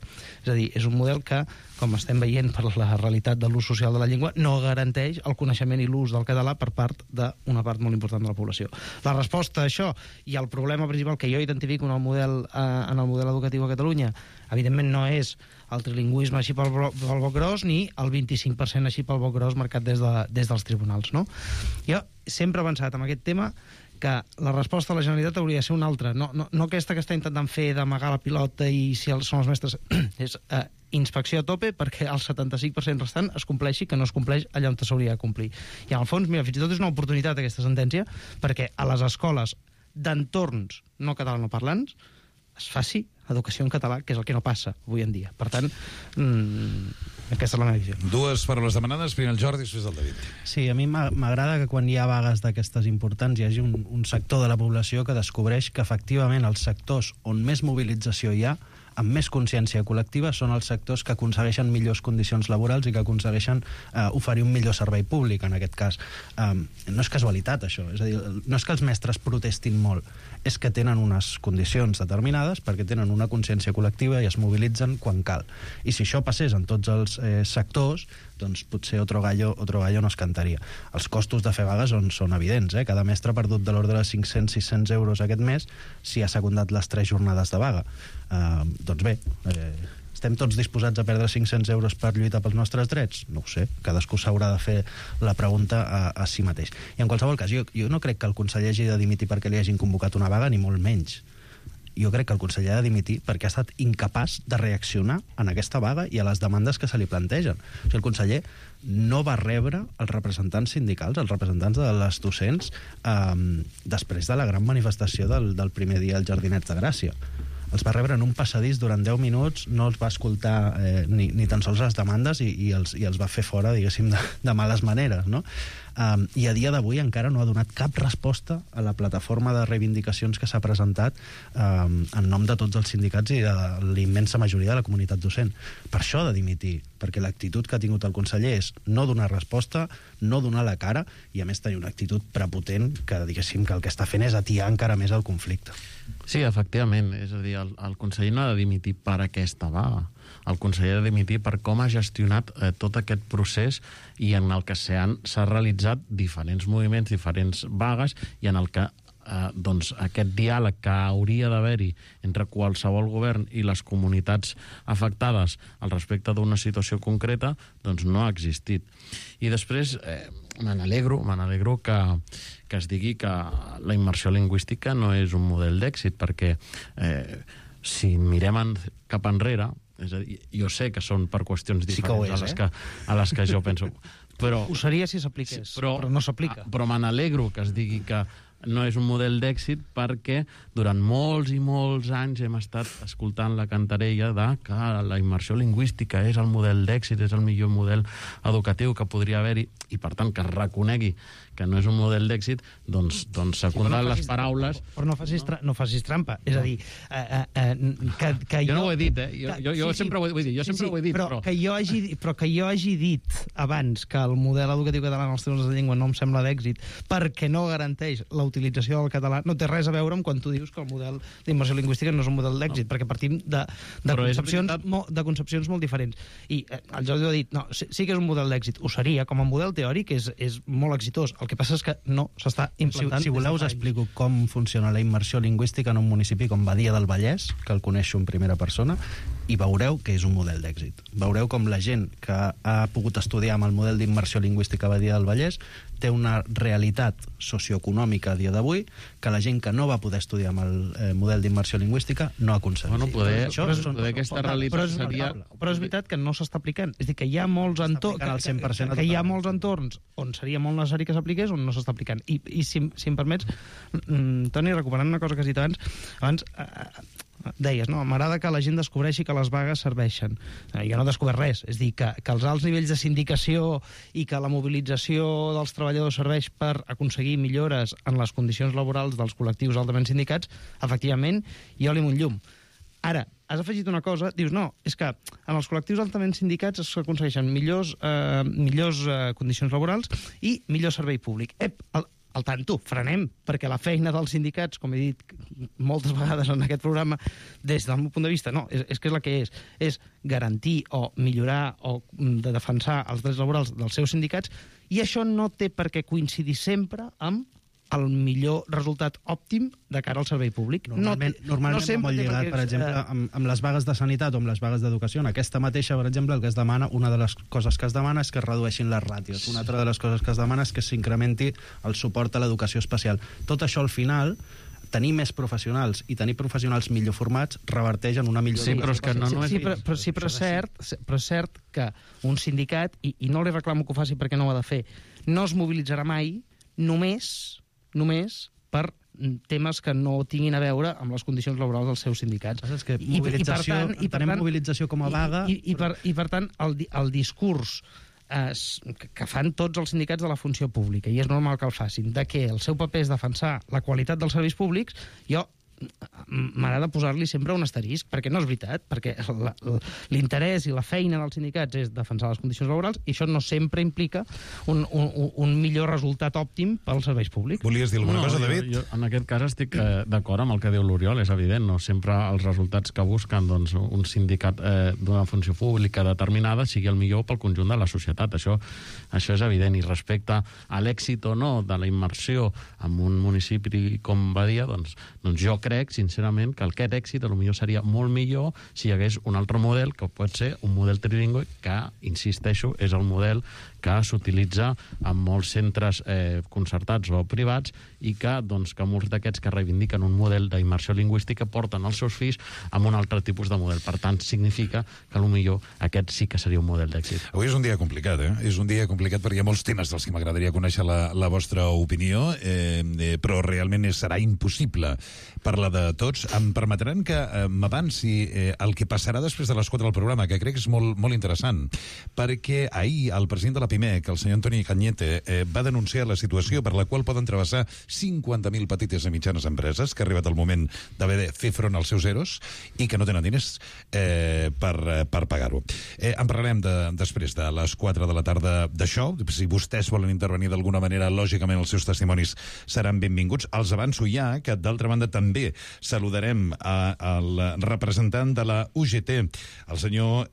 és a dir, és un model que, com estem veient per la realitat de l'ús social de la llengua, no garanteix el coneixement i l'ús del català per part d'una part molt important de la població. La resposta a això, i el problema principal que jo identifico en el model educatiu a Catalunya, evidentment no és el trilingüisme així pel boc gros, ni el 25% així pel boc gros marcat des dels tribunals, no? Jo sempre he pensat en aquest tema que la resposta de la Generalitat hauria de ser una altra, no aquesta que està intentant fer d'amagar la pilota i si són els mestres, és inspecció a tope perquè el 75% restant es compleixi, que no es compleix allà on s'hauria de complir. I en el fons, mira, fins i tot és una oportunitat aquesta sentència perquè a les escoles d'entorns no catalanoparlants es faci educació en català, que és el que no passa avui en dia. Per tant, aquesta és la meva visió. Dues paraules demanades, primer el Jordi, després el David. Sí, a mi m'agrada que quan hi ha vagues d'aquestes importants hi hagi un sector de la població que descobreix que efectivament els sectors on més mobilització hi ha, amb més consciència col·lectiva, són els sectors que aconsegueixen millors condicions laborals i que aconsegueixen oferir un millor servei públic, en aquest cas. No és casualitat, això. És a dir, no és que els mestres protestin molt, és que tenen unes condicions determinades perquè tenen una consciència col·lectiva i es mobilitzen quan cal. I si això passés en tots els sectors, doncs potser otro gallo no es cantaria. Els costos de fer vagues són evidents. Cada mestre ha perdut de l'ordre de 500-600 euros aquest mes si ha secundat les 3 jornades de vaga. Doncs bé, estem tots disposats a perdre 500 euros per lluitar pels nostres drets? No ho sé, cadascú s'haurà de fer la pregunta a si mateix. I en qualsevol cas, jo no crec que el conseller hagi de dimitir perquè li hagin convocat una vaga, ni molt menys. Jo crec que el conseller ha de dimitir perquè ha estat incapaç de reaccionar en aquesta vaga i a les demandes que se li plantegen. O sigui, el conseller no va rebre els representants sindicals, els representants de les docents, després de la gran manifestació del primer dia al Jardinets de Gràcia. Els va rebre en un passadís durant 10 minuts, no els va escoltar ni tan sols les demandes i els va fer fora, diguéssim, de males maneres, no? i a dia d'avui encara no ha donat cap resposta a la plataforma de reivindicacions que s'ha presentat en nom de tots els sindicats i de la immensa majoria de la comunitat docent. Per això ha de dimitir, perquè l'actitud que ha tingut el conseller és no donar resposta, no donar la cara i a més tenir una actitud prepotent que diguéssim que el que està fent és atiar encara més el conflicte. Sí, efectivament, és a dir, el conseller no ha de dimitir per aquesta vaga. El conseller ha de dimitir per com ha gestionat tot aquest procés i en el que s'ha realitzat diferents moviments, diferents vagues i en el que doncs aquest diàleg que hauria d'haver-hi entre qualsevol govern i les comunitats afectades al respecte d'una situació concreta doncs no ha existit. I després me n'alegro que es digui que la immersió lingüística no és un model d'èxit, perquè si mirem cap enrere, és a dir, jo sé que són per qüestions diferents a les que jo penso, però ho seria si s'apliqués, però no s'aplica. Però me n'alegro que es digui que no és un model d'èxit perquè durant molts i molts anys hem estat escoltant la cantarella de que la immersió lingüística és el model d'èxit, és el millor model educatiu que podria haver-hi, i per tant que es reconegui que no és un secundant d'èxit, doncs secundant les paraules... Però no facis trampa. És a dir, que jo no ho he dit, Jo sempre ho he dit, però que jo hagi dit abans que el model educatiu català en els temes de llengua no em sembla d'èxit perquè no garanteix la utilització del català, no té res a veure amb quan tu dius que el model d'immersió lingüística no és un model d'èxit, perquè partim de concepcions molt diferents. I el Jordi ho ha dit, no, sí que és un model d'èxit, ho seria, com a model teòric és molt exitós. El que passa és que no s'està implantant. Si voleu us explico com funciona la immersió lingüística en un municipi com Badia del Vallès, que el coneixo en primera persona, i veureu que és un model d'èxit. Veureu com la gent que ha pogut estudiar amb el model d'immersió lingüística a Badia del Vallès té una realitat socioeconòmica a dia d'avui que la gent que no va poder estudiar amb el model d'immersió lingüística no ha aconseguit. Bueno, poder aquesta realitat seria... Però és veritat que no s'està aplicant. És a dir, que hi ha molts entorns on seria molt necessari que s'apliqués, on no s'està aplicant. I si em permets, Toni, recuperant una cosa que has dit abans deies, no? M'agrada que la gent descobreixi que les vagues serveixen. Jo no he descobert res. És a dir, que els alts nivells de sindicació i que la mobilització dels treballadors serveix per aconseguir millores en les condicions laborals dels col·lectius altament sindicats, efectivament, jo li un llum. Ara, has afegit una cosa, dius, no, és que en els col·lectius altament sindicats s'aconsegueixen millors condicions laborals i millor servei públic. Al tanto, frenem, perquè la feina dels sindicats, com he dit moltes vegades en aquest programa, des del meu punt de vista, no, és que és la que és garantir o millorar o de defensar els drets laborals dels seus sindicats, i això no té per què coincidir sempre amb el millor resultat òptim de cara al servei públic. Normalment molt lligat, per exemple, amb les vagues de sanitat o amb les vagues d'educació. En aquesta mateixa, per exemple, el que es demana, una de les coses que es demana és que es redueixin les ràtios. Una altra de les coses que es demana és que s'incrementi el suport a l'educació especial. Tot això, al final, tenir més professionals i tenir professionals millor formats reverteix en una millor... Sí, però és que no és... Però és cert que un sindicat, i no li reclamo que ho faci perquè no ho ha de fer, no es mobilitzarà mai només per temes que no tinguin a veure amb les condicions laborals dels seus sindicats. És que entenem mobilització com a vaga... I per tant, el discurs que fan tots els sindicats de la funció pública, i és normal que el facin, de que el seu paper és defensar la qualitat dels serveis públics, jo m'agrada posar-li sempre un asterisc, perquè no és veritat, perquè l'interès i la feina dels sindicats és defensar les condicions laborals, i això no sempre implica un millor resultat òptim pels serveis públics. Volies dir alguna cosa, David? Jo en aquest cas estic d'acord amb el que diu l'Oriol, és evident, no sempre els resultats que busquen un sindicat d'una funció pública determinada sigui el millor pel conjunt de la societat, això és evident, i respecte a l'èxit o no de la immersió en un municipi com Badia, doncs jo crec, sincerament, que aquest èxit potser seria molt millor si hi hagués un altre model, que pot ser un model trilingüe, que, insisteixo, és el model que s'utilitza en molts centres concertats o privats, i que molts d'aquests que reivindiquen un model d'immersió lingüística porten els seus fills amb un altre tipus de model. Per tant, significa que potser aquest sí que seria un model d'èxit. Avui és un dia complicat, És un dia complicat perquè hi ha molts temes dels que m'agradaria conèixer la vostra opinió, però realment serà impossible parlar de tots. Em permetran que m'avanci el que passarà després de les 4 del programa, que crec que és molt, molt interessant, perquè ahir el president de la Pimec, el senyor Antoni Cañete, va denunciar la situació per la qual poden travessar 50.000 petites i mitjanes empreses, que ha arribat el moment d'haver de fer front als seus EROs i que no tenen diners per pagar-ho. En parlarem després de les 4 de la tarda d'això. Si vostès volen intervenir d'alguna manera, lògicament els seus testimonis seran benvinguts. Els avanço ja que, d'altra banda, també saludarem al representant de la UGT, el senyor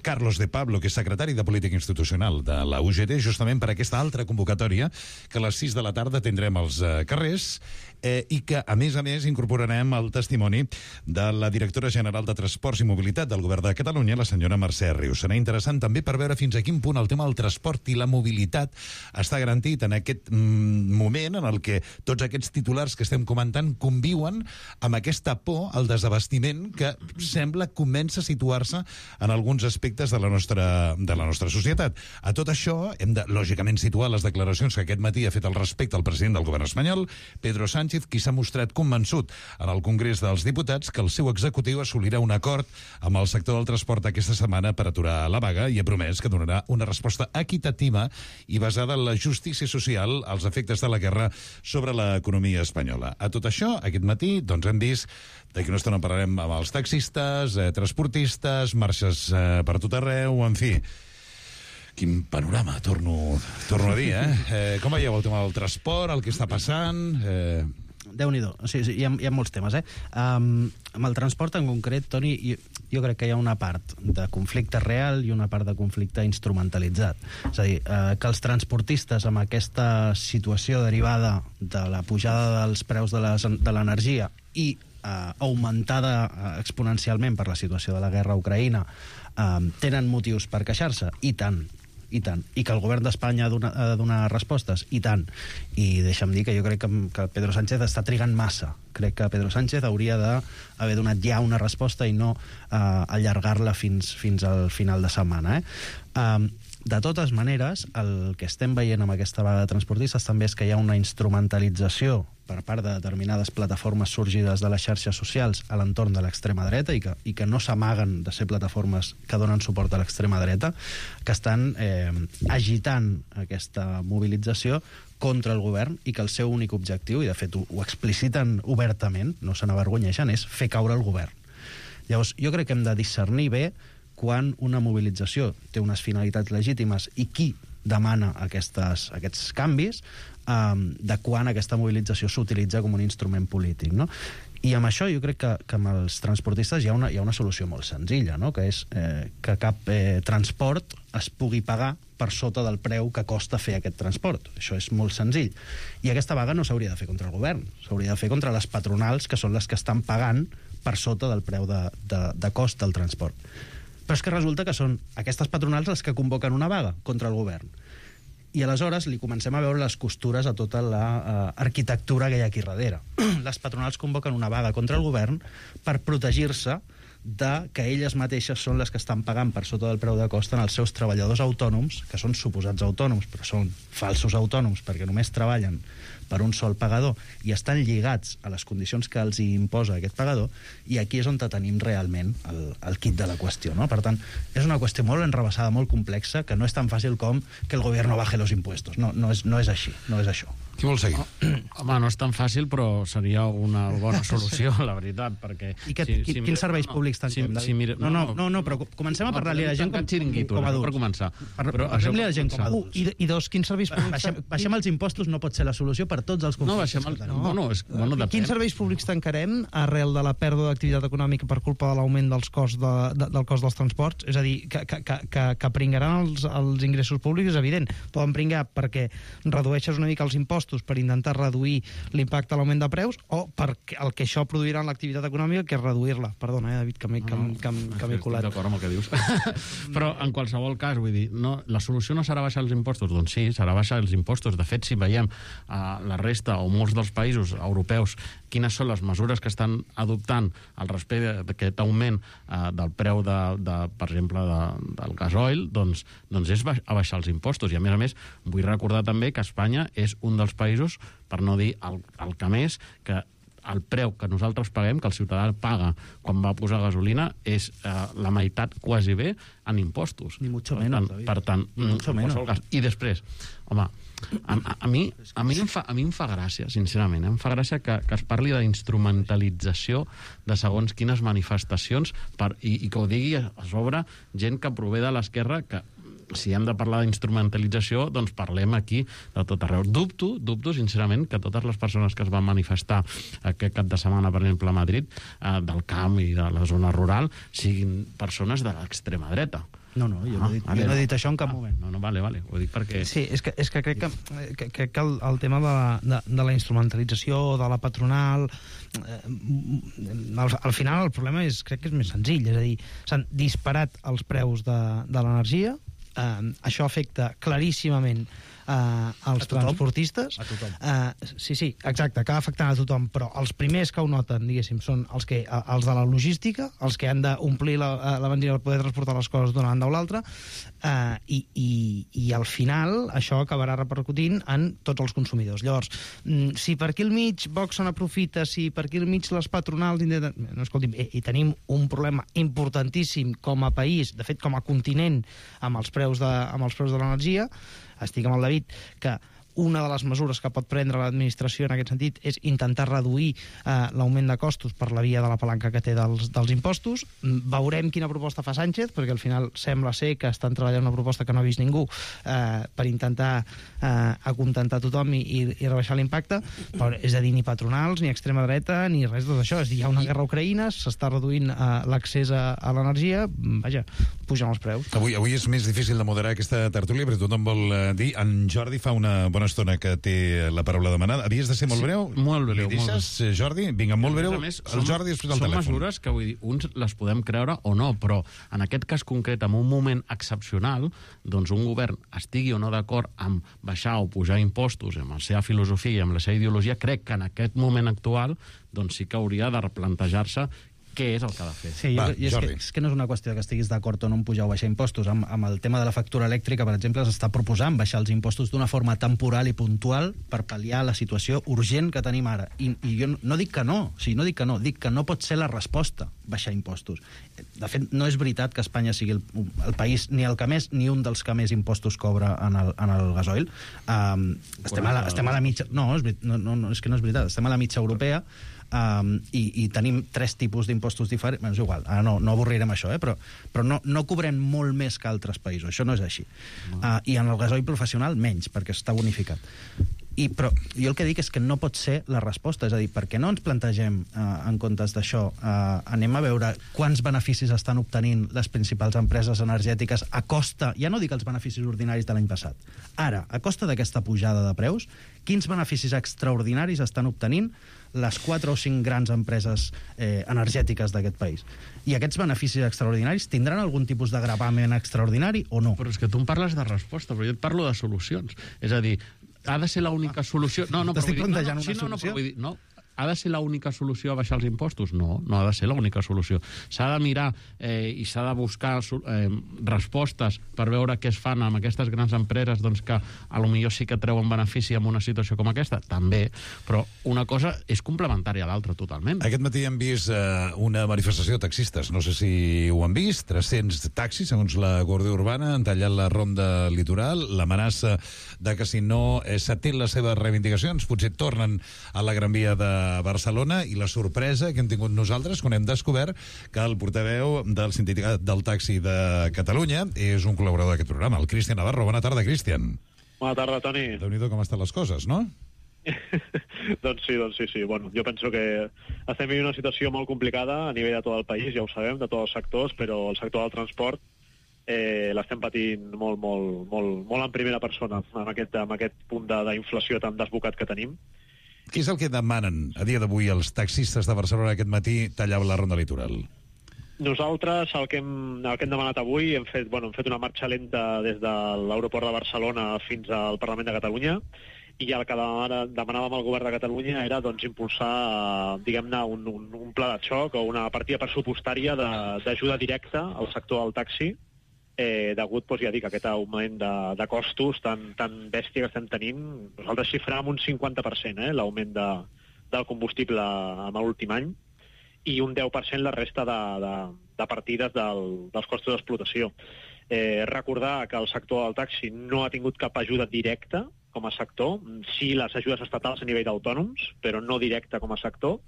Carlos de Pablo, que és secretari de Política Institucional de la UGT, justament per aquesta altra convocatòria que a les 6 de la tarda tindrem als carrers i que, a més, incorporarem el testimoni de la directora general de Transports i Mobilitat del Govern de Catalunya, la senyora Mercè Rius. Serà interessant també per veure fins a quin punt el tema del transport i la mobilitat està garantit en aquest moment en el que tots aquests titulars que estem comentant conviuen amb aquesta por al desabastiment que sembla comença a situar-se en alguns aspectes de la nostra societat. A tot això hem de, lògicament, situar les declaracions que aquest matí ha fet al respecte el president del govern espanyol, Pedro Sánchez, qui s'ha mostrat convençut en el Congrés dels Diputats que el seu executiu assolirà un acord amb el sector del transport aquesta setmana per aturar la vaga i ha promès que donarà una resposta equitativa i basada en la justícia social als efectes de la guerra sobre l'economia espanyola. A tot això, aquest matí, doncs hem vist, d'aquí una estona parlarem amb els taxistes, transportistes, marxes per tot arreu, en fi. Quin panorama, torno a dir, Com veieu el tema del transport, el que està passant? Déu-n'hi-do. Sí, hi ha molts temes, Amb el transport en concret, Toni, jo crec que hi ha una part de conflicte real i una part de conflicte instrumentalitzat. És a dir, que els transportistes amb aquesta situació derivada de la pujada dels preus de l'energia i augmentada exponencialment per la situació de la guerra a Ucraïna tenen motius per queixar-se? I tant. I que el govern d'Espanya ha de donar respostes? I tant. I deixa'm dir que jo crec que Pedro Sánchez està trigant massa. Crec que Pedro Sánchez hauria d'haver donat ja una resposta i no allargar-la fins al final de setmana. De totes maneres, el que estem veient amb aquesta vaga de transportistes també és que hi ha una instrumentalització per part de determinades plataformes sorgides de les xarxes socials a l'entorn de l'extrema dreta i que no s'amaguen de ser plataformes que donen suport a l'extrema dreta, que estan agitant aquesta mobilització contra el govern i que el seu únic objectiu, i de fet ho expliciten obertament, no se n'avergonyeixen, és fer caure el govern. Llavors, jo crec que hem de discernir bé quan una mobilització té unes finalitats legítimes i qui demana aquests canvis, de quan aquesta mobilització s'utilitza com un instrument polític, no? I amb això jo crec que amb els transportistes hi ha una solució molt senzilla, no? Que és que cap transport es pugui pagar per sota del preu que costa fer aquest transport. Això és molt senzill. I aquesta vaga no s'hauria de fer contra el govern, s'hauria de fer contra les patronals, que són les que estan pagant per sota del preu de cost del transport. Però és que resulta que són aquestes patronals les que convoquen una vaga contra el govern. I aleshores li comencem a veure les costures a tota l'arquitectura que hi ha aquí darrere. Les patronals convoquen una vaga contra el govern per protegir-se de que elles mateixes són les que estan pagant per sota del preu de cost en els seus treballadors autònoms, que són suposats autònoms, però són falsos autònoms perquè només treballen per un sol pagador i estan lligats a les condicions que els imposa aquest pagador, i aquí és on tenim realment el quid de la qüestió, no? Per tant, és una qüestió molt enrevessada, molt complexa, que no és tan fàcil com que el govern baje los impuestos. No és així, no és això. Qui vol seguir? Home, no és tan fàcil, però seria una bona solució, la veritat, perquè... I quins serveis públics tanquem? No, però comencem a parlar-li a la gent com a adults. Per començar. Parlem-li a la gent com a adults. I dos, quins serveis públics... Baixem els impostos no pot ser la solució per tots els conflictes. No, quins serveis públics tancarem arrel de la pèrdua d'activitat econòmica per culpa de l'augment del cost dels transports? És a dir, que pringaran els ingressos públics, és evident. Poden pringar perquè redueixes una mica els impostos per intentar reduir l'impacte a l'augment de preus, o perquè el que això produirà en l'activitat econòmica, que és reduir-la. Perdona, David, que m'he colat. Estic d'acord amb el que dius. Però, en qualsevol cas, vull dir, la solució no serà baixar els impostos? Doncs sí, serà baixar els impostos. De fet, si veiem la resta o molts dels països europeus quines són les mesures que estan adoptant al respecte d'aquest augment del preu, per exemple, del gasoil, doncs és abaixar els impostos. I, a més, vull recordar també que Espanya és un dels països, per no dir el que més, que el preu que nosaltres paguem, que el ciutadà paga quan va posar gasolina, és la meitat quasi bé en impostos. Ni mucho menos, David. Per tant, i després, home, a mi em fa gràcia, sincerament, em fa gràcia que es parli d'instrumentalització de segons quines manifestacions i que ho digui a sobre gent que prové de l'esquerra, que si hem de parlar d'instrumentalització, doncs parlem aquí de tot arreu. Dubto, sincerament, que totes les persones que es van manifestar aquest cap de setmana, per exemple, a Madrid, del camp i de la zona rural, siguin persones de l'extrema dreta. No, jo no he dit això en cap moment. No, vale, ho dic perquè... Sí, és que crec que el tema de la instrumentalització, de la patronal, al final el problema crec que és més senzill, és a dir, s'han disparat els preus de l'energia, això afecta claríssimament als transportistes. A tothom. Sí, exacte, acaba afectant a tothom, però els primers que ho noten, diguéssim, són els de la logística, els que han d'omplir la benzina per poder transportar les coses d'una banda o l'altra, i al final això acabarà repercutint en tots els consumidors. Llavors, si per aquí al mig Vox se n'aprofita, si per aquí al mig les patronals... No, escolti'm, i tenim un problema importantíssim com a país, de fet com a continent, amb els preus de l'energia. Estic amb el David, que una de les mesures que pot prendre l'administració en aquest sentit és intentar reduir l'augment de costos per la via de la palanca que té dels impostos. Veurem quina proposta fa Sánchez, perquè al final sembla ser que estan treballant una proposta que no ha vist ningú per intentar acontentar tothom i rebaixar l'impacte, però és a dir, ni patronals, ni extrema dreta, ni res de tot això. És a dir, hi ha una guerra a Ucraïna, s'està reduint l'accés a l'energia, vaja, pugen els preus. Avui és més difícil de moderar aquesta tertúlia, perquè tothom vol dir. En Jordi fa una bona estona que té la paraula demanada. Havies de ser molt breu? Molt breu. Li deixes, Jordi? Vinga, molt breu. Més, el Jordi després el telèfon. Són mesures que, vull dir, uns les podem creure o no, però en aquest cas concret, en un moment excepcional, doncs un govern estigui o no d'acord amb baixar o pujar impostos, amb la seva filosofia i amb la seva ideologia, crec que en aquest moment actual doncs sí que hauria de replantejar-se què és el que ha de fer. Sí, és que no és una qüestió que estiguis d'acord o no en pujar o baixar impostos. Amb el tema de la factura elèctrica, per exemple, s'està proposant baixar els impostos d'una forma temporal i puntual per pal·liar la situació urgent que tenim ara. I jo no dic que no, dic que no pot ser la resposta baixar impostos. De fet, no és veritat que Espanya sigui el país ni el que més ni un dels que més impostos cobra en el gasoil. Estem a la mitja... No, és que no és veritat. Estem a la mitja europea, i tenim 3 tipus d'impostos diferents. És igual, ara no avorrirem això, però no cobrem molt més que altres països, això no és així. I en el gasoil professional menys, perquè està bonificat. Però jo el que dic és que no pot ser la resposta, és a dir, per què no ens plantegem en comptes d'això, anem a veure quants beneficis estan obtenint les principals empreses energètiques a costa, ja no dic els beneficis ordinaris de l'any passat, ara, a costa d'aquesta pujada de preus, quins beneficis extraordinaris estan obtenint les 4 o 5 grans empreses energètiques d'aquest país. I aquests beneficis extraordinaris tindran algun tipus de gravamen extraordinari o no? Però és que tu em parles de resposta, però jo et parlo de solucions. És a dir, ha de ser l'única solució... T'estic plantejant una solució? Ha de ser l'única solució a baixar els impostos? No ha de ser l'única solució. S'ha de mirar i s'ha de buscar respostes per veure què es fan amb aquestes grans empreses doncs que a lo millor sí que treuen benefici en una situació com aquesta, també, però una cosa és complementària a l'altra totalment. Aquest matí hem vist una manifestació de taxistes, no sé si ho han vist, 300 taxis, segons la Guàrdia Urbana, han tallat la ronda litoral, l'amenaça de que si no s'atén les seves reivindicacions, potser tornen a la Gran Via de Barcelona, i la sorpresa que hem tingut nosaltres quan hem descobert que el portaveu del Sindicat del Taxi de Catalunya és un col·laborador d'aquest programa, el Cristian Navarro. Bona tarda, Cristian. Bona tarda, Toni. Déu-n'hi-do com estan les coses, no? Doncs sí. Bueno, jo penso que estem vivint una situació molt complicada a nivell de tot el país, ja ho sabem, de tots els sectors, però el sector del transport l'estem patint molt en primera persona, amb aquest punt d'inflació tan desbocat que tenim. Què és el que demanen a dia d'avui els taxistes de Barcelona aquest matí tallar la ronda litoral? Nosaltres el que hem demanat avui hem fet una marxa lenta des de l'aeroport de Barcelona fins al Parlament de Catalunya, i el que demanàvem al govern de Catalunya era impulsar diguem-ne un pla de xoc o una partida pressupostària d'ajuda directa al sector del taxi, degut, ja dic, a aquest augment de costos tan bèstia que estem tenint. Nosaltres xifràvem un 50% l'augment del combustible en l'últim any, i un 10% la resta de partides dels costos d'explotació. Recordar que el sector del taxi no ha tingut cap ajuda directa com a sector, sí les ajudes estatals a nivell d'autònoms, però no directa com a sector,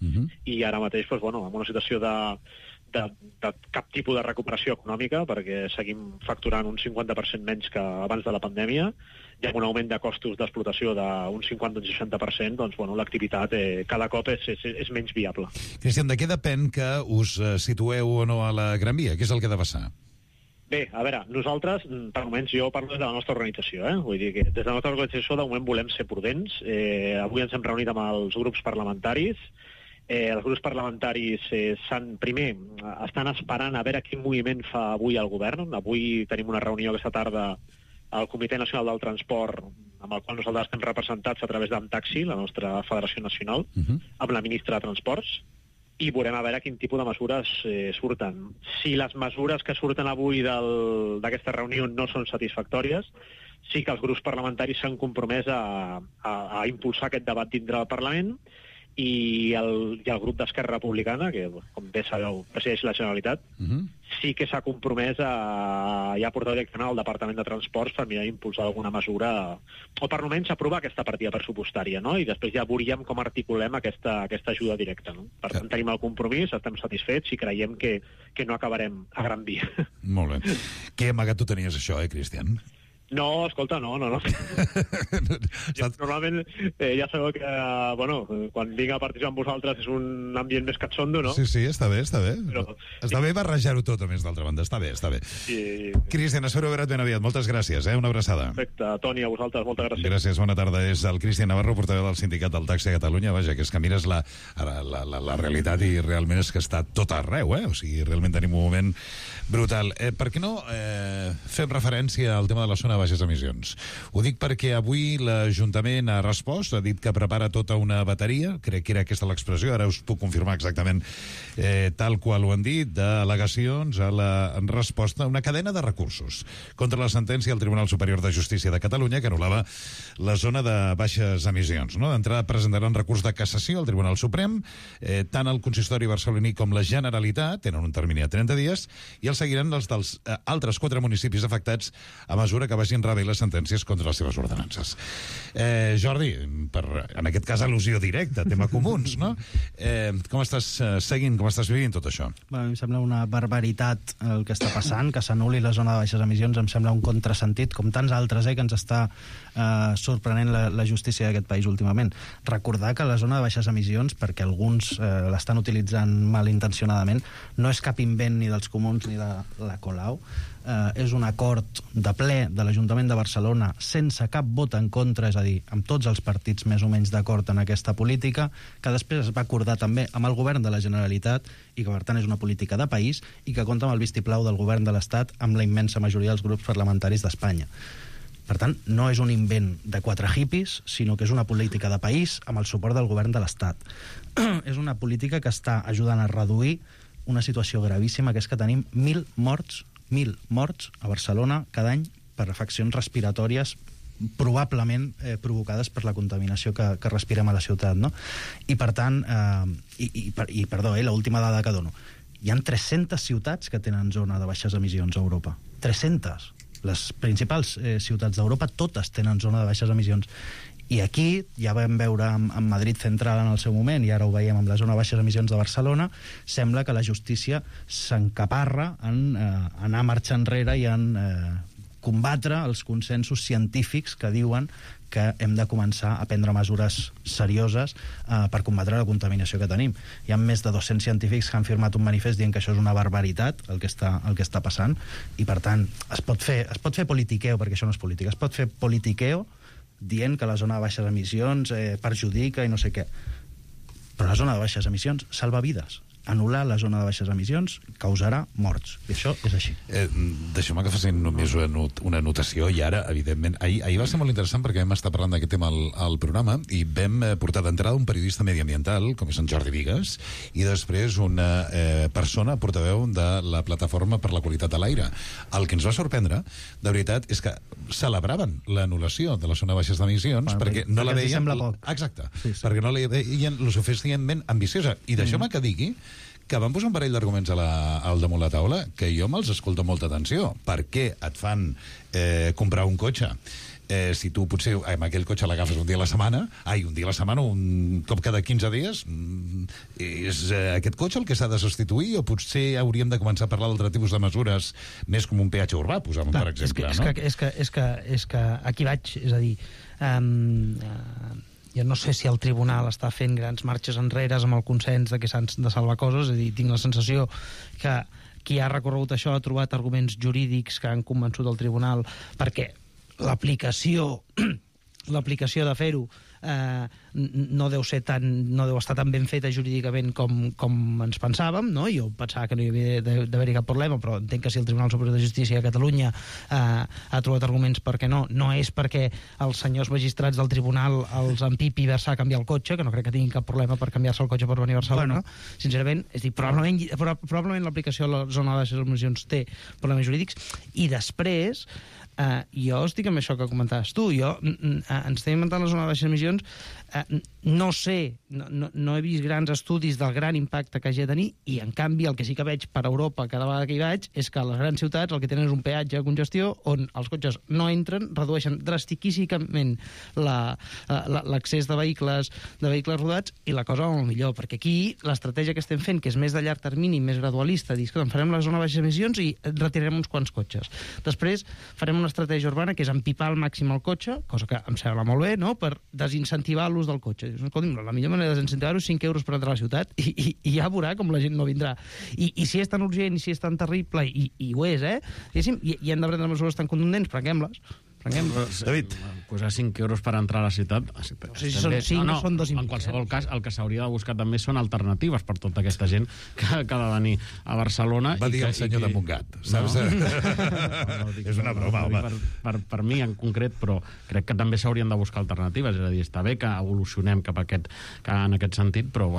i ara mateix, doncs, bueno, en una situació de cap tipus de recuperació econòmica, perquè seguim facturant un 50% menys que abans de la pandèmia, i amb un augment de costos d'explotació d'un 50-60%, doncs, bueno, l'activitat cada cop és menys viable. Cristian, de què depèn que us situeu o no a la Gran Via? Què és el que ha de passar? Bé, a veure, nosaltres, per moments, jo parlo des de la nostra organització, vull dir que des de la nostra organització de moment volem ser prudents. Avui ens hem reunit amb els grups parlamentaris. Els grups parlamentaris primer estan esperant a veure quin moviment fa avui el govern. Avui tenim una reunió aquesta tarda al Comitè Nacional del Transport, amb el qual nosaltres estem representats a través d'Amtaxi, la nostra federació nacional, amb la ministra de Transports, i veurem a veure quin tipus de mesures surten. Si les mesures que surten avui d'aquesta reunió no són satisfactòries, sí que els grups parlamentaris s'han compromès a impulsar aquest debat dintre del Parlament, i el grup d'Esquerra Republicana, que, com bé sabeu, presideix la Generalitat, sí que s'ha compromès a portar directament al Departament de Transports per mirar d'impulsar alguna mesura, o per almenys aprovar aquesta partida pressupostària, no? I després ja veuríem com articulem aquesta ajuda directa, no? Per tant, tenim el compromís, estem satisfets i creiem que no acabarem a Gran Via. Molt bé. Que amagat tu tenies això, Cristian? No, escolta, no. Normalment ja sabeu que, bueno, quan vinc a participar amb vosaltres és un ambient més catxondo, no? Sí, està bé. Però, està bé barrejar-ho tot, a més, d'altra banda. Està bé. Sí. Cristian, espero veure't ben aviat. Moltes gràcies, una abraçada. Perfecte. Toni, a vosaltres, moltes gràcies. Gràcies, bona tarda. És el Cristian Navarro, portaveu del Sindicat del Taxi a Catalunya. Vaja, que és que mires la realitat i realment és que està tot arreu, O sigui, realment tenim un moment brutal. Per què no fem referència al tema de la zona de baixes emissions? Ho dic perquè avui l'Ajuntament ha respost, ha dit que prepara tota una bateria, crec que era aquesta l'expressió, ara us puc confirmar exactament tal qual ho han dit, d'al·legacions a la resposta a una cadena de recursos contra la sentència del Tribunal Superior de Justícia de Catalunya que anul·lava la zona de baixes emissions. D'entrada presentaran recurs de cassació al Tribunal Suprem, tant el consistori barceloní com la Generalitat, tenen un termini de 30 dies, i els seguiran els dels altres 4 municipis afectats a mesura que vagin rebent les sentències contra les seves ordenances. Jordi, en aquest cas al·lusió directa, tema comuns, no? Com estàs seguint, com estàs vivint tot això? A mi em sembla una barbaritat el que està passant, que s'anul·li la zona de baixes emissions, em sembla un contrasentit, com tants altres que ens està sorprenent la justícia d'aquest país últimament. Recordar que la zona de baixes emissions, perquè alguns l'estan utilitzant malintencionadament, no és cap invent ni dels comuns ni de la Colau, és un acord de ple de l'Ajuntament de Barcelona sense cap vot en contra, és a dir, amb tots els partits més o menys d'acord en aquesta política, que després es va acordar també amb el govern de la Generalitat i que per tant és una política de país i que compta amb el vistiplau del govern de l'Estat amb la immensa majoria dels grups parlamentaris d'Espanya. Per tant, no és un invent de 4 hippies, sinó que és una política de país amb el suport del govern de l'Estat. És una política que està ajudant a reduir una situació gravíssima, que és que tenim 1.000 morts a Barcelona cada any per afeccions respiratòries probablement provocades per la contaminació que respirem a la ciutat, no? I per tant, perdó, l'última dada que dono, hi ha 300 ciutats que tenen zona de baixes emissions a Europa. 300. Les principals ciutats d'Europa totes tenen zona de baixes emissions. I aquí, ja vam veure amb Madrid Central en el seu moment, i ara ho veiem amb la zona de baixes emissions de Barcelona, sembla que la justícia s'encaparra en anar marxa enrere i en combatre els consensos científics que diuen que hem de començar a prendre mesures serioses per combatre la contaminació que tenim. Hi ha més de 200 científics que han firmat un manifest dient que això és una barbaritat, el que està passant, i per tant es pot fer politiqueo, perquè això no és política, es pot fer politiqueo dient que la zona de baixes emissions perjudica i no sé què. Però la zona de baixes emissions salva vides. anul·lar la zona de baixes emissions causarà morts. I això és així. Deixeu-me que faci només una anotació, i ara, evidentment, ahir va ser molt interessant perquè vam estar parlant d'aquest tema al programa i vam portar d'entrada un periodista mediambiental, com és en Jordi Vigues, i després una persona portaveu de la Plataforma per la Qualitat de l'Aire. El que ens va sorprendre, de veritat, és que celebraven l'anul·lació de la zona de baixes d'emissions perquè no la veien... Exacte, perquè no la veien lo suficientment ambiciosa. I deixeu-me que digui que van posar un parell d'arguments al damunt la taula que jo me'ls escolto amb molta atenció. Per què et fan comprar un cotxe? Si tu potser amb aquell cotxe l'agafes un dia a la setmana, un cop cada 15 dies, és aquest cotxe el que s'ha de substituir o potser hauríem de començar a parlar d'altre tipus de mesures més com un peatge urbà, posem per exemple. És que aquí vaig, és a dir, jo no sé si el tribunal està fent grans marxes enrere amb el consens de que s'han de salvar coses, és a dir, tinc la sensació que qui ha recorregut això ha trobat arguments jurídics que han convençut el tribunal perquè l'aplicació de fer-ho no deu estar tan ben feta jurídicament com ens pensàvem, no? Jo pensava que no hi havia d'haver-hi cap problema, però entenc que si el Tribunal Superior de Justícia de Catalunya ha trobat arguments perquè no és perquè els senyors magistrats del tribunal els empipi versar a canviar el cotxe, que no crec que tinguin cap problema per canviar-se el cotxe per venir a Barcelona. Sincerament, és dir, probablement l'aplicació de la zona de baixes emissions té problemes jurídics, i després jo estic amb això que comentaves tu. Ens estem inventant la zona de baixes emissions. No sé, no he vist grans estudis del gran impacte que hagi de tenir, i en canvi el que sí que veig per Europa cada vegada que hi vaig és que a les grans ciutats el que tenen és un peatge de congestió on els cotxes no entren, redueixen drastiquíssimament l'accés de vehicles rodats, i la cosa va molt millor, perquè aquí l'estratègia que estem fent, que és més de llarg termini, més gradualista, dir que farem la zona de baixes emissions i retirarem uns quants cotxes. Després farem una estratègia urbana que és empipar al màxim el cotxe, cosa que em sembla molt bé, no?, per desincentivar l'ús del cotxe. Escolti'm, la millor manera de desincentivar-ho és 5 euros per entrar a la ciutat, i ja veurà com la gent no vindrà. I si és tan urgent, i si és tan terrible, i ho és, diguéssim, i hem de prendre mesures tan contundents, prenguem-les. David, posar 5 euros per entrar a la ciutat... Si són 5, no són 2,5. En qualsevol cas, el que s'hauria de buscar també són alternatives per tota aquesta gent que ha de venir a Barcelona. Va dir el senyor de Montgat, saps? És una broma, home. Per mi, en concret, però crec que també s'haurien de buscar alternatives. És a dir, està bé que evolucionem en aquest sentit, però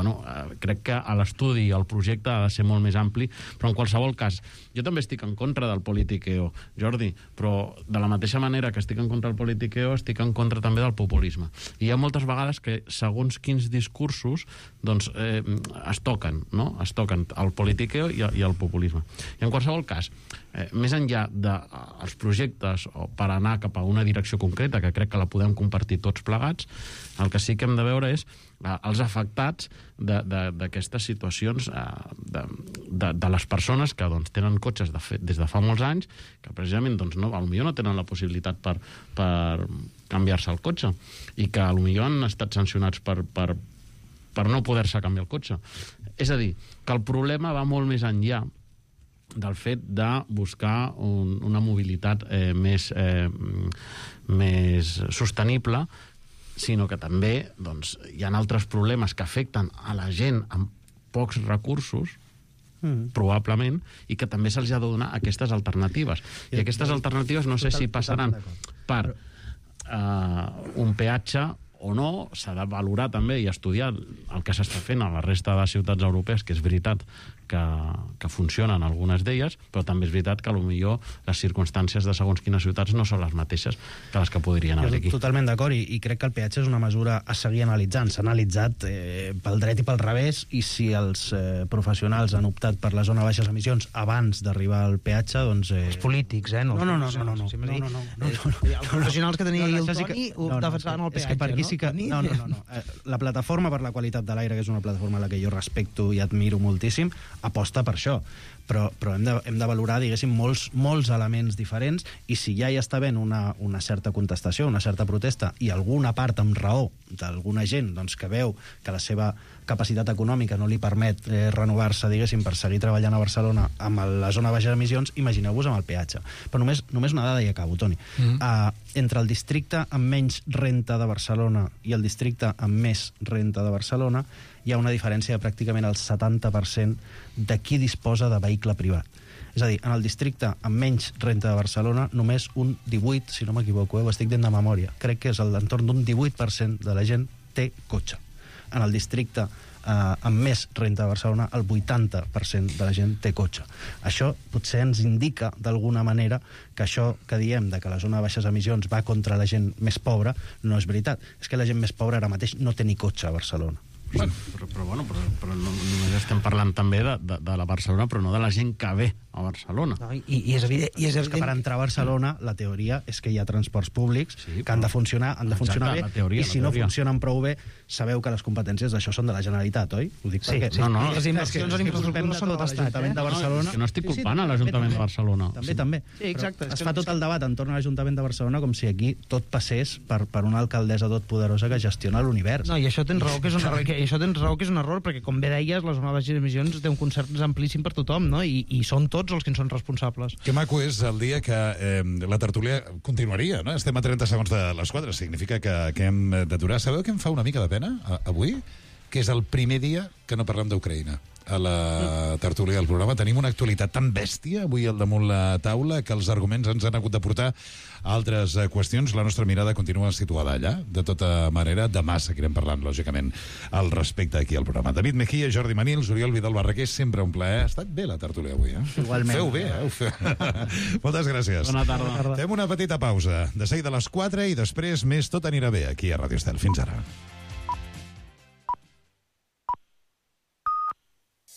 crec que l'estudi i el projecte ha de ser molt més ampli. Però en qualsevol cas, jo també estic en contra del politiqueo, Jordi, però de la mateixa manera que estic en contra del politiqueo, estic en contra també del populisme. I hi ha moltes vegades que, segons quins discursos, doncs, es toquen, no? Es toquen el politiqueo i el populisme. I en qualsevol cas, més enllà dels projectes per anar cap a una direcció concreta, que crec que la podem compartir tots plegats, el que sí que hem de veure és els afectats d'aquestes situacions de les persones que tenen cotxes des de fa molts anys, que precisament potser no tenen la possibilitat per canviar-se el cotxe, i que potser han estat sancionats per no poder-se canviar el cotxe. És a dir, que el problema va molt més enllà del fet de buscar una mobilitat més sostenible, sinó que també hi ha altres problemes que afecten a la gent amb pocs recursos, probablement, i que també se'ls ha de donar aquestes alternatives. I aquestes alternatives no sé si passaran per un peatge o no, s'ha de valorar també i estudiar el que s'està fent a la resta de ciutats europees, que és veritat que funcionen algunes d'elles, però també és veritat que potser les circumstàncies de segons quines ciutats no són les mateixes que les que podrien haver aquí. Totalment d'acord, i crec que el peatge és una mesura a seguir analitzant. S'ha analitzat pel dret i pel revés, i si els professionals han optat per la zona de baixes emissions abans d'arribar al peatge, doncs... Els polítics, no. Els professionals que tenia el Toni defensaven el peatge, no? És que per aquí sí que... No. La Plataforma per la Qualitat de l'Aire, que és una plataforma a la que jo respecto i admiro moltíssim, aposta per això, però hem de valorar, diguéssim, molts elements diferents, i si ja hi està havent una certa contestació, una certa protesta, i alguna part amb raó d'alguna gent que veu que capacitat econòmica no li permet renovar-se, diguéssim, per seguir treballant a Barcelona amb la zona de baixes emissions, imagineu-vos amb el peatge. Però només una dada i acabo, Toni. Entre el districte amb menys renta de Barcelona i el districte amb més renta de Barcelona hi ha una diferència de pràcticament el 70% de qui disposa de vehicle privat. És a dir, en el districte amb menys renta de Barcelona, només un 18, si no m'equivoco, ho estic dient de memòria, crec que és l'entorn d'un 18% de la gent té cotxe. En el districte amb més renta de Barcelona, el 80% de la gent té cotxe. Això potser ens indica, d'alguna manera, que això que diem de que la zona de baixes emissions va contra la gent més pobra, no és veritat. És que la gent més pobra ara mateix no té ni cotxe a Barcelona. Però només estem parlant també de la Barcelona, però no de la gent que ve a Barcelona. No, i és evident, que per entrar a Barcelona la teoria és que hi ha transports públics que han de funcionar bé, i si no funcionen prou bé, sabeu que les competències d'això són de la Generalitat, oi? Ho dic perquè... Les inversions en infraestructura són de l'Estat, eh? No estic culpant a l'Ajuntament de Barcelona. També. Sí, exacte. Es fa tot el debat entorn a l'Ajuntament de Barcelona com si aquí tot passés per una alcaldessa totpoderosa que gestiona l'univers. No, i això tens raó que és un error, perquè, com bé deies, la zona de baixes emissions té un concert amplíssim per tothom, no? I són tots els que en són responsables. Que maco és el dia que la tertúlia continuaria, no? Estem a 30 segons de les 4, significa que hem d'aturar. Sabeu què em fa una mica de pena avui? Que és el primer dia que no parlem d'Ucraïna a la tertúlia del programa. Tenim una actualitat tan bèstia avui al damunt la taula que els arguments ens han hagut de portar a altres qüestions. La nostra mirada continua situada allà. De tota manera, demà seguirem parlant, lògicament, al respecte aquí al programa. David Mejía, Jordi Manils, Oriol Vidal Barraquer, sempre un plaer. Ha estat bé la tertúlia avui, eh? Igualment. Feu bé, Moltes gràcies. Bona tarda. Fem una petita pausa. De seguida a les 4 i després més Tot anirà bé aquí a Ràdio Estel. Fins ara.